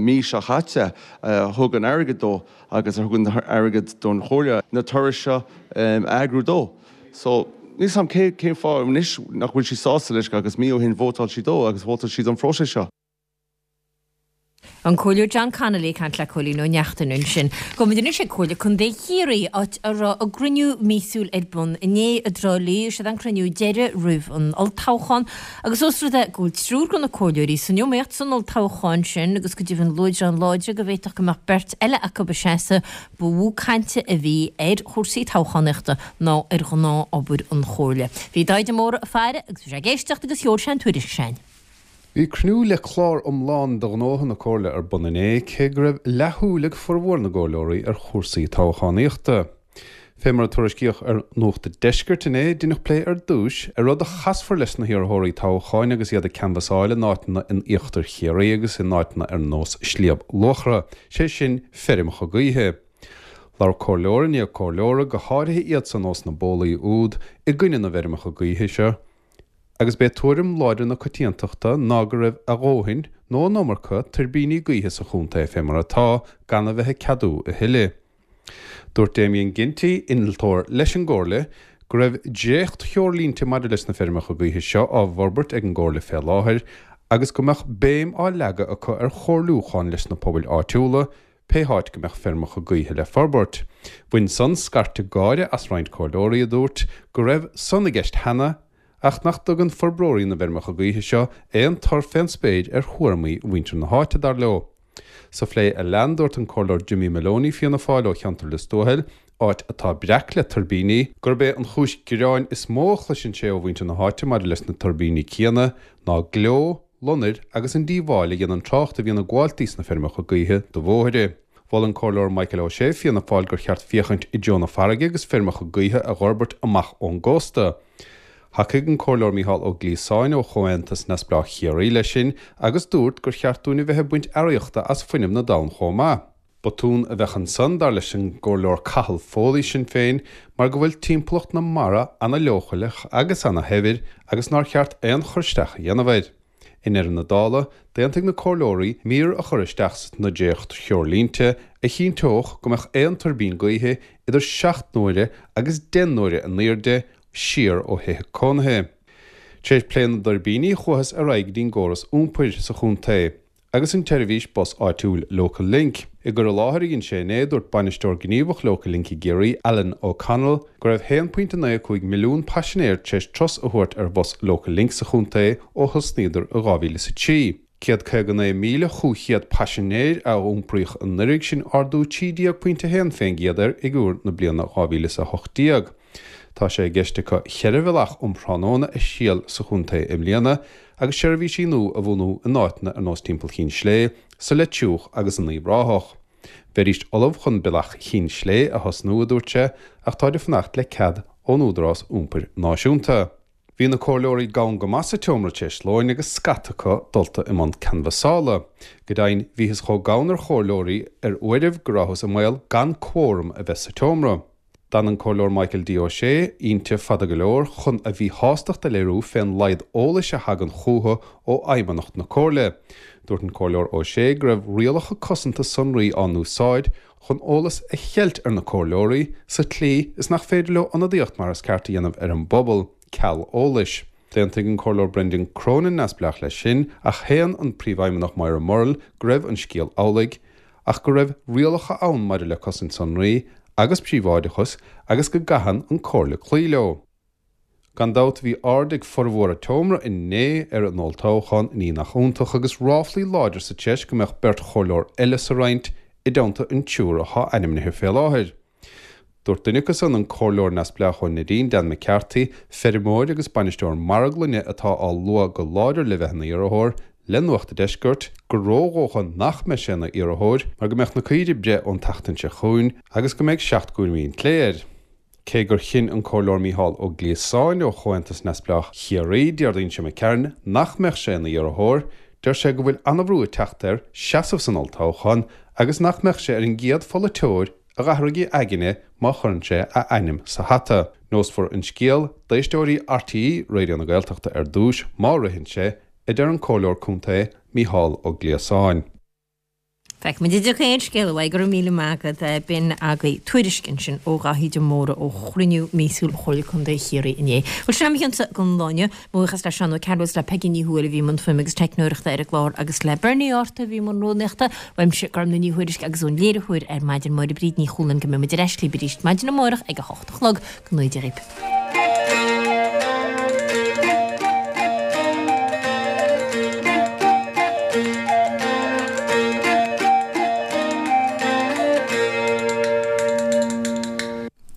S14: mhí seo chaite a thug an airgead dó agus a thug an airgead don Chomhairle na turais seo a eagrú dó. So, níl 's a'm cén fáth anois nach bhfuil sí sásta leis agus mí ó shin vótáil sí dó agus vótáil sí don phróiseas seo.
S1: An Comhairleoir John Connolly ag caint le Cóilín Ó Neachtain ansin. Gabhfaidh muid anois ag Comhairle Contae Chiarraí, áit a raibh a gcruinniú míosúil ar bun inné i dTrá Lí. Is é an cruinniú deiridh roimh an olltoghchán agus ós rud é go bhfuil triúr de na comhairleoirí san iomaíocht san olltoghchán sin agus go deimhin luaidreáin láidre go bhféadfadh go mbeadh beirt eile acu ag seasamh, ba mhó cainte a bhí ar chúrsaí toghchánaíochta ná ar ghnáth-obair an Chomhairle. Bhí Dáithí de Mórdha ag faire agus bhí sé ag éisteacht agus sheol sé an tuairisc sin.
S16: Bhí cruinniú le clár iomlán de ghnótha na Comhairle ar bun inné, cé go raibh leathshúil ag formhór na gcomhairleoirí ar chúrsaí toghchánaíochta. Fé mar a tuairiscíodh ar Nuacht an Deiscirt inné, deineadh plé ar dtúis ar rud a chasfar leis na hiarrthóirí toghcháin agus iad ag canbhasáil in áiteanna in íochtar Chiarraí agus in áiteanna ar nós Sliabh Luachra, sé sin feirmeacha gaoithe. Labhair comhairleoir i ndiaidh comhairleora, go háirithe iadsan ós na bólaí úd, i gcoinne na bhfeirmeacha gaoithe seo. Agus b'é tuairim láidir na coitiantachta ná go raibh a dhóthain, nó an iomarca, tuirbíní gaoithe sa chontae fé mar atá, gan a bheith ag ceadú a thuilleadh. Dúirt Damien Ginty, innealtóir leis an gComhairle, go raibh dréacht-threoirlínte maidir leis na feirmeacha gaoithe seo á bhforbairt ag an gComhairle fé láthair agus go mbeadh béim á leagadh acu ar chomhairliúchán leis na pobail áitiúla, pé háit go mbeadh feirmeacha gaoithe le forbairt. Bhain san scairteadh gáire as roinnt comhairleoirí a dúirt go raibh san i gceist cheana ach nach dtugann forbróirí na bhfeirmeacha gaoithe seo aon tor fén spéir ar thuairimí mhuintir na háite, dar leo. Sa phlé a lean, dúirt an Comhairleoir Jimmy Moloney, Fianna Fáil ó cheantar Lios Tuathail, áit atá breac le tuirbíní, gurb é an chúis gearáin is mó a chloiseann sé ó mhuintir na háite maidir leis na tuirbíní céanna ná gleo, lonair agus an díobháil a dhéanann trácht a bhíonn ag gabháil thíos na feirmeacha gaoithe do bhóithre. Mhol an Comhairleoir Michael O'Shea, Fianna Fáil gur cheart féachaint i dtreo na farraige agus feirmeacha gaoithe a dh'fhorbairt amach ón gcósta. Thacaigh an Comhairleoir Mícheál Ó Gliasáin ó Chomhaontas Neamhspleách Chiarraí leis sin agus dúirt gur cheart dúinn a bheith ag baint earraíochta as fuinneamh na dtonn chomh maith. Botún a bheadh ansan, dar leis an gComhairleoir Cathal Foley, Sinn Féin, mar go bhfuil timpeallacht na mara ana-leochaileach agus ana-shaibhir agus nár cheart aon chur isteach a dhéanamh air. I ndeireadh na dála, d'aontaigh na comhairleoirí mír a chur isteach sna dréacht-threoirlínte a chinnteodh go mbeadh aon tuirbín gaoithe idir 7 n-uaire agus 10 n-uaire a n-airde siar ó thithe cónaithe. Tar éis plé na dtuirbíní chuathas ar aghaidh go dtí'n gcóras iompair sa chontae. agus an tseirbhís bus áitiúil Local Link. I gcur i láthair a dhein sé inné, dúirt Bainisteoir Gníomhach Local Link i gCiarraí, Alan O'Connell, go raibh 1.95 milliún paisinéir tar éis turas a thabhairt ar bhus Local Link sa chontae ó thosnaíodar i 2003. 159,500 paisinéir a iompraíodh anuraidh, sin ardú 13.1% ar fhigiúr na bliana 2018. Tá sé i gceist acu cheithre bhealach um thráthnóna a thriail sa chontae i mbliana agus seirbhísí nua a bhunú in áiteanna ar nós timpeall Chinn Slé, sa Leitriúch agus in Uíbh Ráthach. Bheidís ullamh chun Bealach Chinn Slé a thosnú, a dúirt sé, ach táid ag fanacht le cead ón Údarás Iompair Náisiúnta. Bhí na comhairleoirí gann go maith sa tseomra tar éis lóin agus scata acu dulta i mbun canbhasála. Go deimhin, bhíothas chomh gann ar chomhairleoirí ar uairibh go rabhthas i mbaol gan córam a bheith sa tseomra. D'fhan an Comhairleoir Michael D. Ó Sé inti fada go leor chun a mhíshástacht a léiriú fén laghad eolais a thagann chúthu ó Fheidhmeannacht na Comhairle. Dúirt an Comhairleoir Ó Sé go raibh rialacha cosanta sonraí á n-úsáid chun eolas a cheilt ar na comhairleoirí, sa tslí is nach féidir leo ionadaíocht mar is ceart a dhéanamh ar an bpobal, ceal eolais. D'aontaigh an Comhairleoir Brendan Cronin, Neamhspleách, leis sin, ach shéan an Príomhfheidhmeannach Moira Murrell go raibh an scéal amhlaidh, ach go raibh rialacha ann maidir le cosaint sonraí agus príobháideachas agus go gcaitheann an Comhairle cloí leo. Gan dabht bhí aird ag formhór an tseomra inné ar an olltoghchán, ní nach iontach, agus ráflaí láidir sa treis go mbeadh beirt chomhairleoir eile sa roinnt i dteannta an triúr atá ainmnithe fé láthair. Dúirt duine acu san, an comhairleoir neamhspleách ón Neidín, Dan McCarthy, feirmeoir agus bainisteoir marglainne atá á lua go láidir le bheith ina iarrthóir, le Nuacht a' Deiscirt, gur ródhócha nach mbeidh sé ina iarrthóir mar go mbeadh na caoirigh ag breith ón tseachtain seo chugainn agus go mbeidh 7 gcúraimí an tslé air. Cé gur chinn an Comhairleoir Mícheál Ó Gliasáin ó Chomhaontas Neamhspleách Chiarraí, Déardaoin seo imigh tharainn, nach mbeadh sé ina iarrthóir, deir sé go bhfuil an-bhrú ag teacht air seasamh san olltoghchán agus nach mbeadh sé ar an gcéad pholaiteoir a dh'athraigh a aigne má chuireann sé a ainm sa hata. Neosfar an scéal d'éisteoirí RTÉ Raidió na Gaeltachta ar dtús, má ritheann sé, a deir an Comhairleoir Contae Mícheál Ó Gliasáin.
S1: Feicfimid an dtiocfaidh aon scéal uaidh. Go raibh míle maith agat. B'in agaibh tuairisc ansin ó Dhaithí de Mórdha ó chruinniú míosúil Chomhairle Contae Chiarraí inné. Bhuel, sin é mo chionsa don lá inniu. Mo bhuíochas le Seán Ó Cearúil is le Peigí Ní Thuathail a bhí i mbun fuaime agus teicneoireachta ar an gclár agus le Bernie Arthur a bhí i mbun rúnaíochta. Uaimse, Gormlaith Ní Thuairisg agus ón léiritheoir ar maidin, Máire Bríd Ní Chualáin go mbeidh muid ar ais libh arís maidin amárach ag a hocht a chlog. Go ngnóthaí Dia dhaoibh.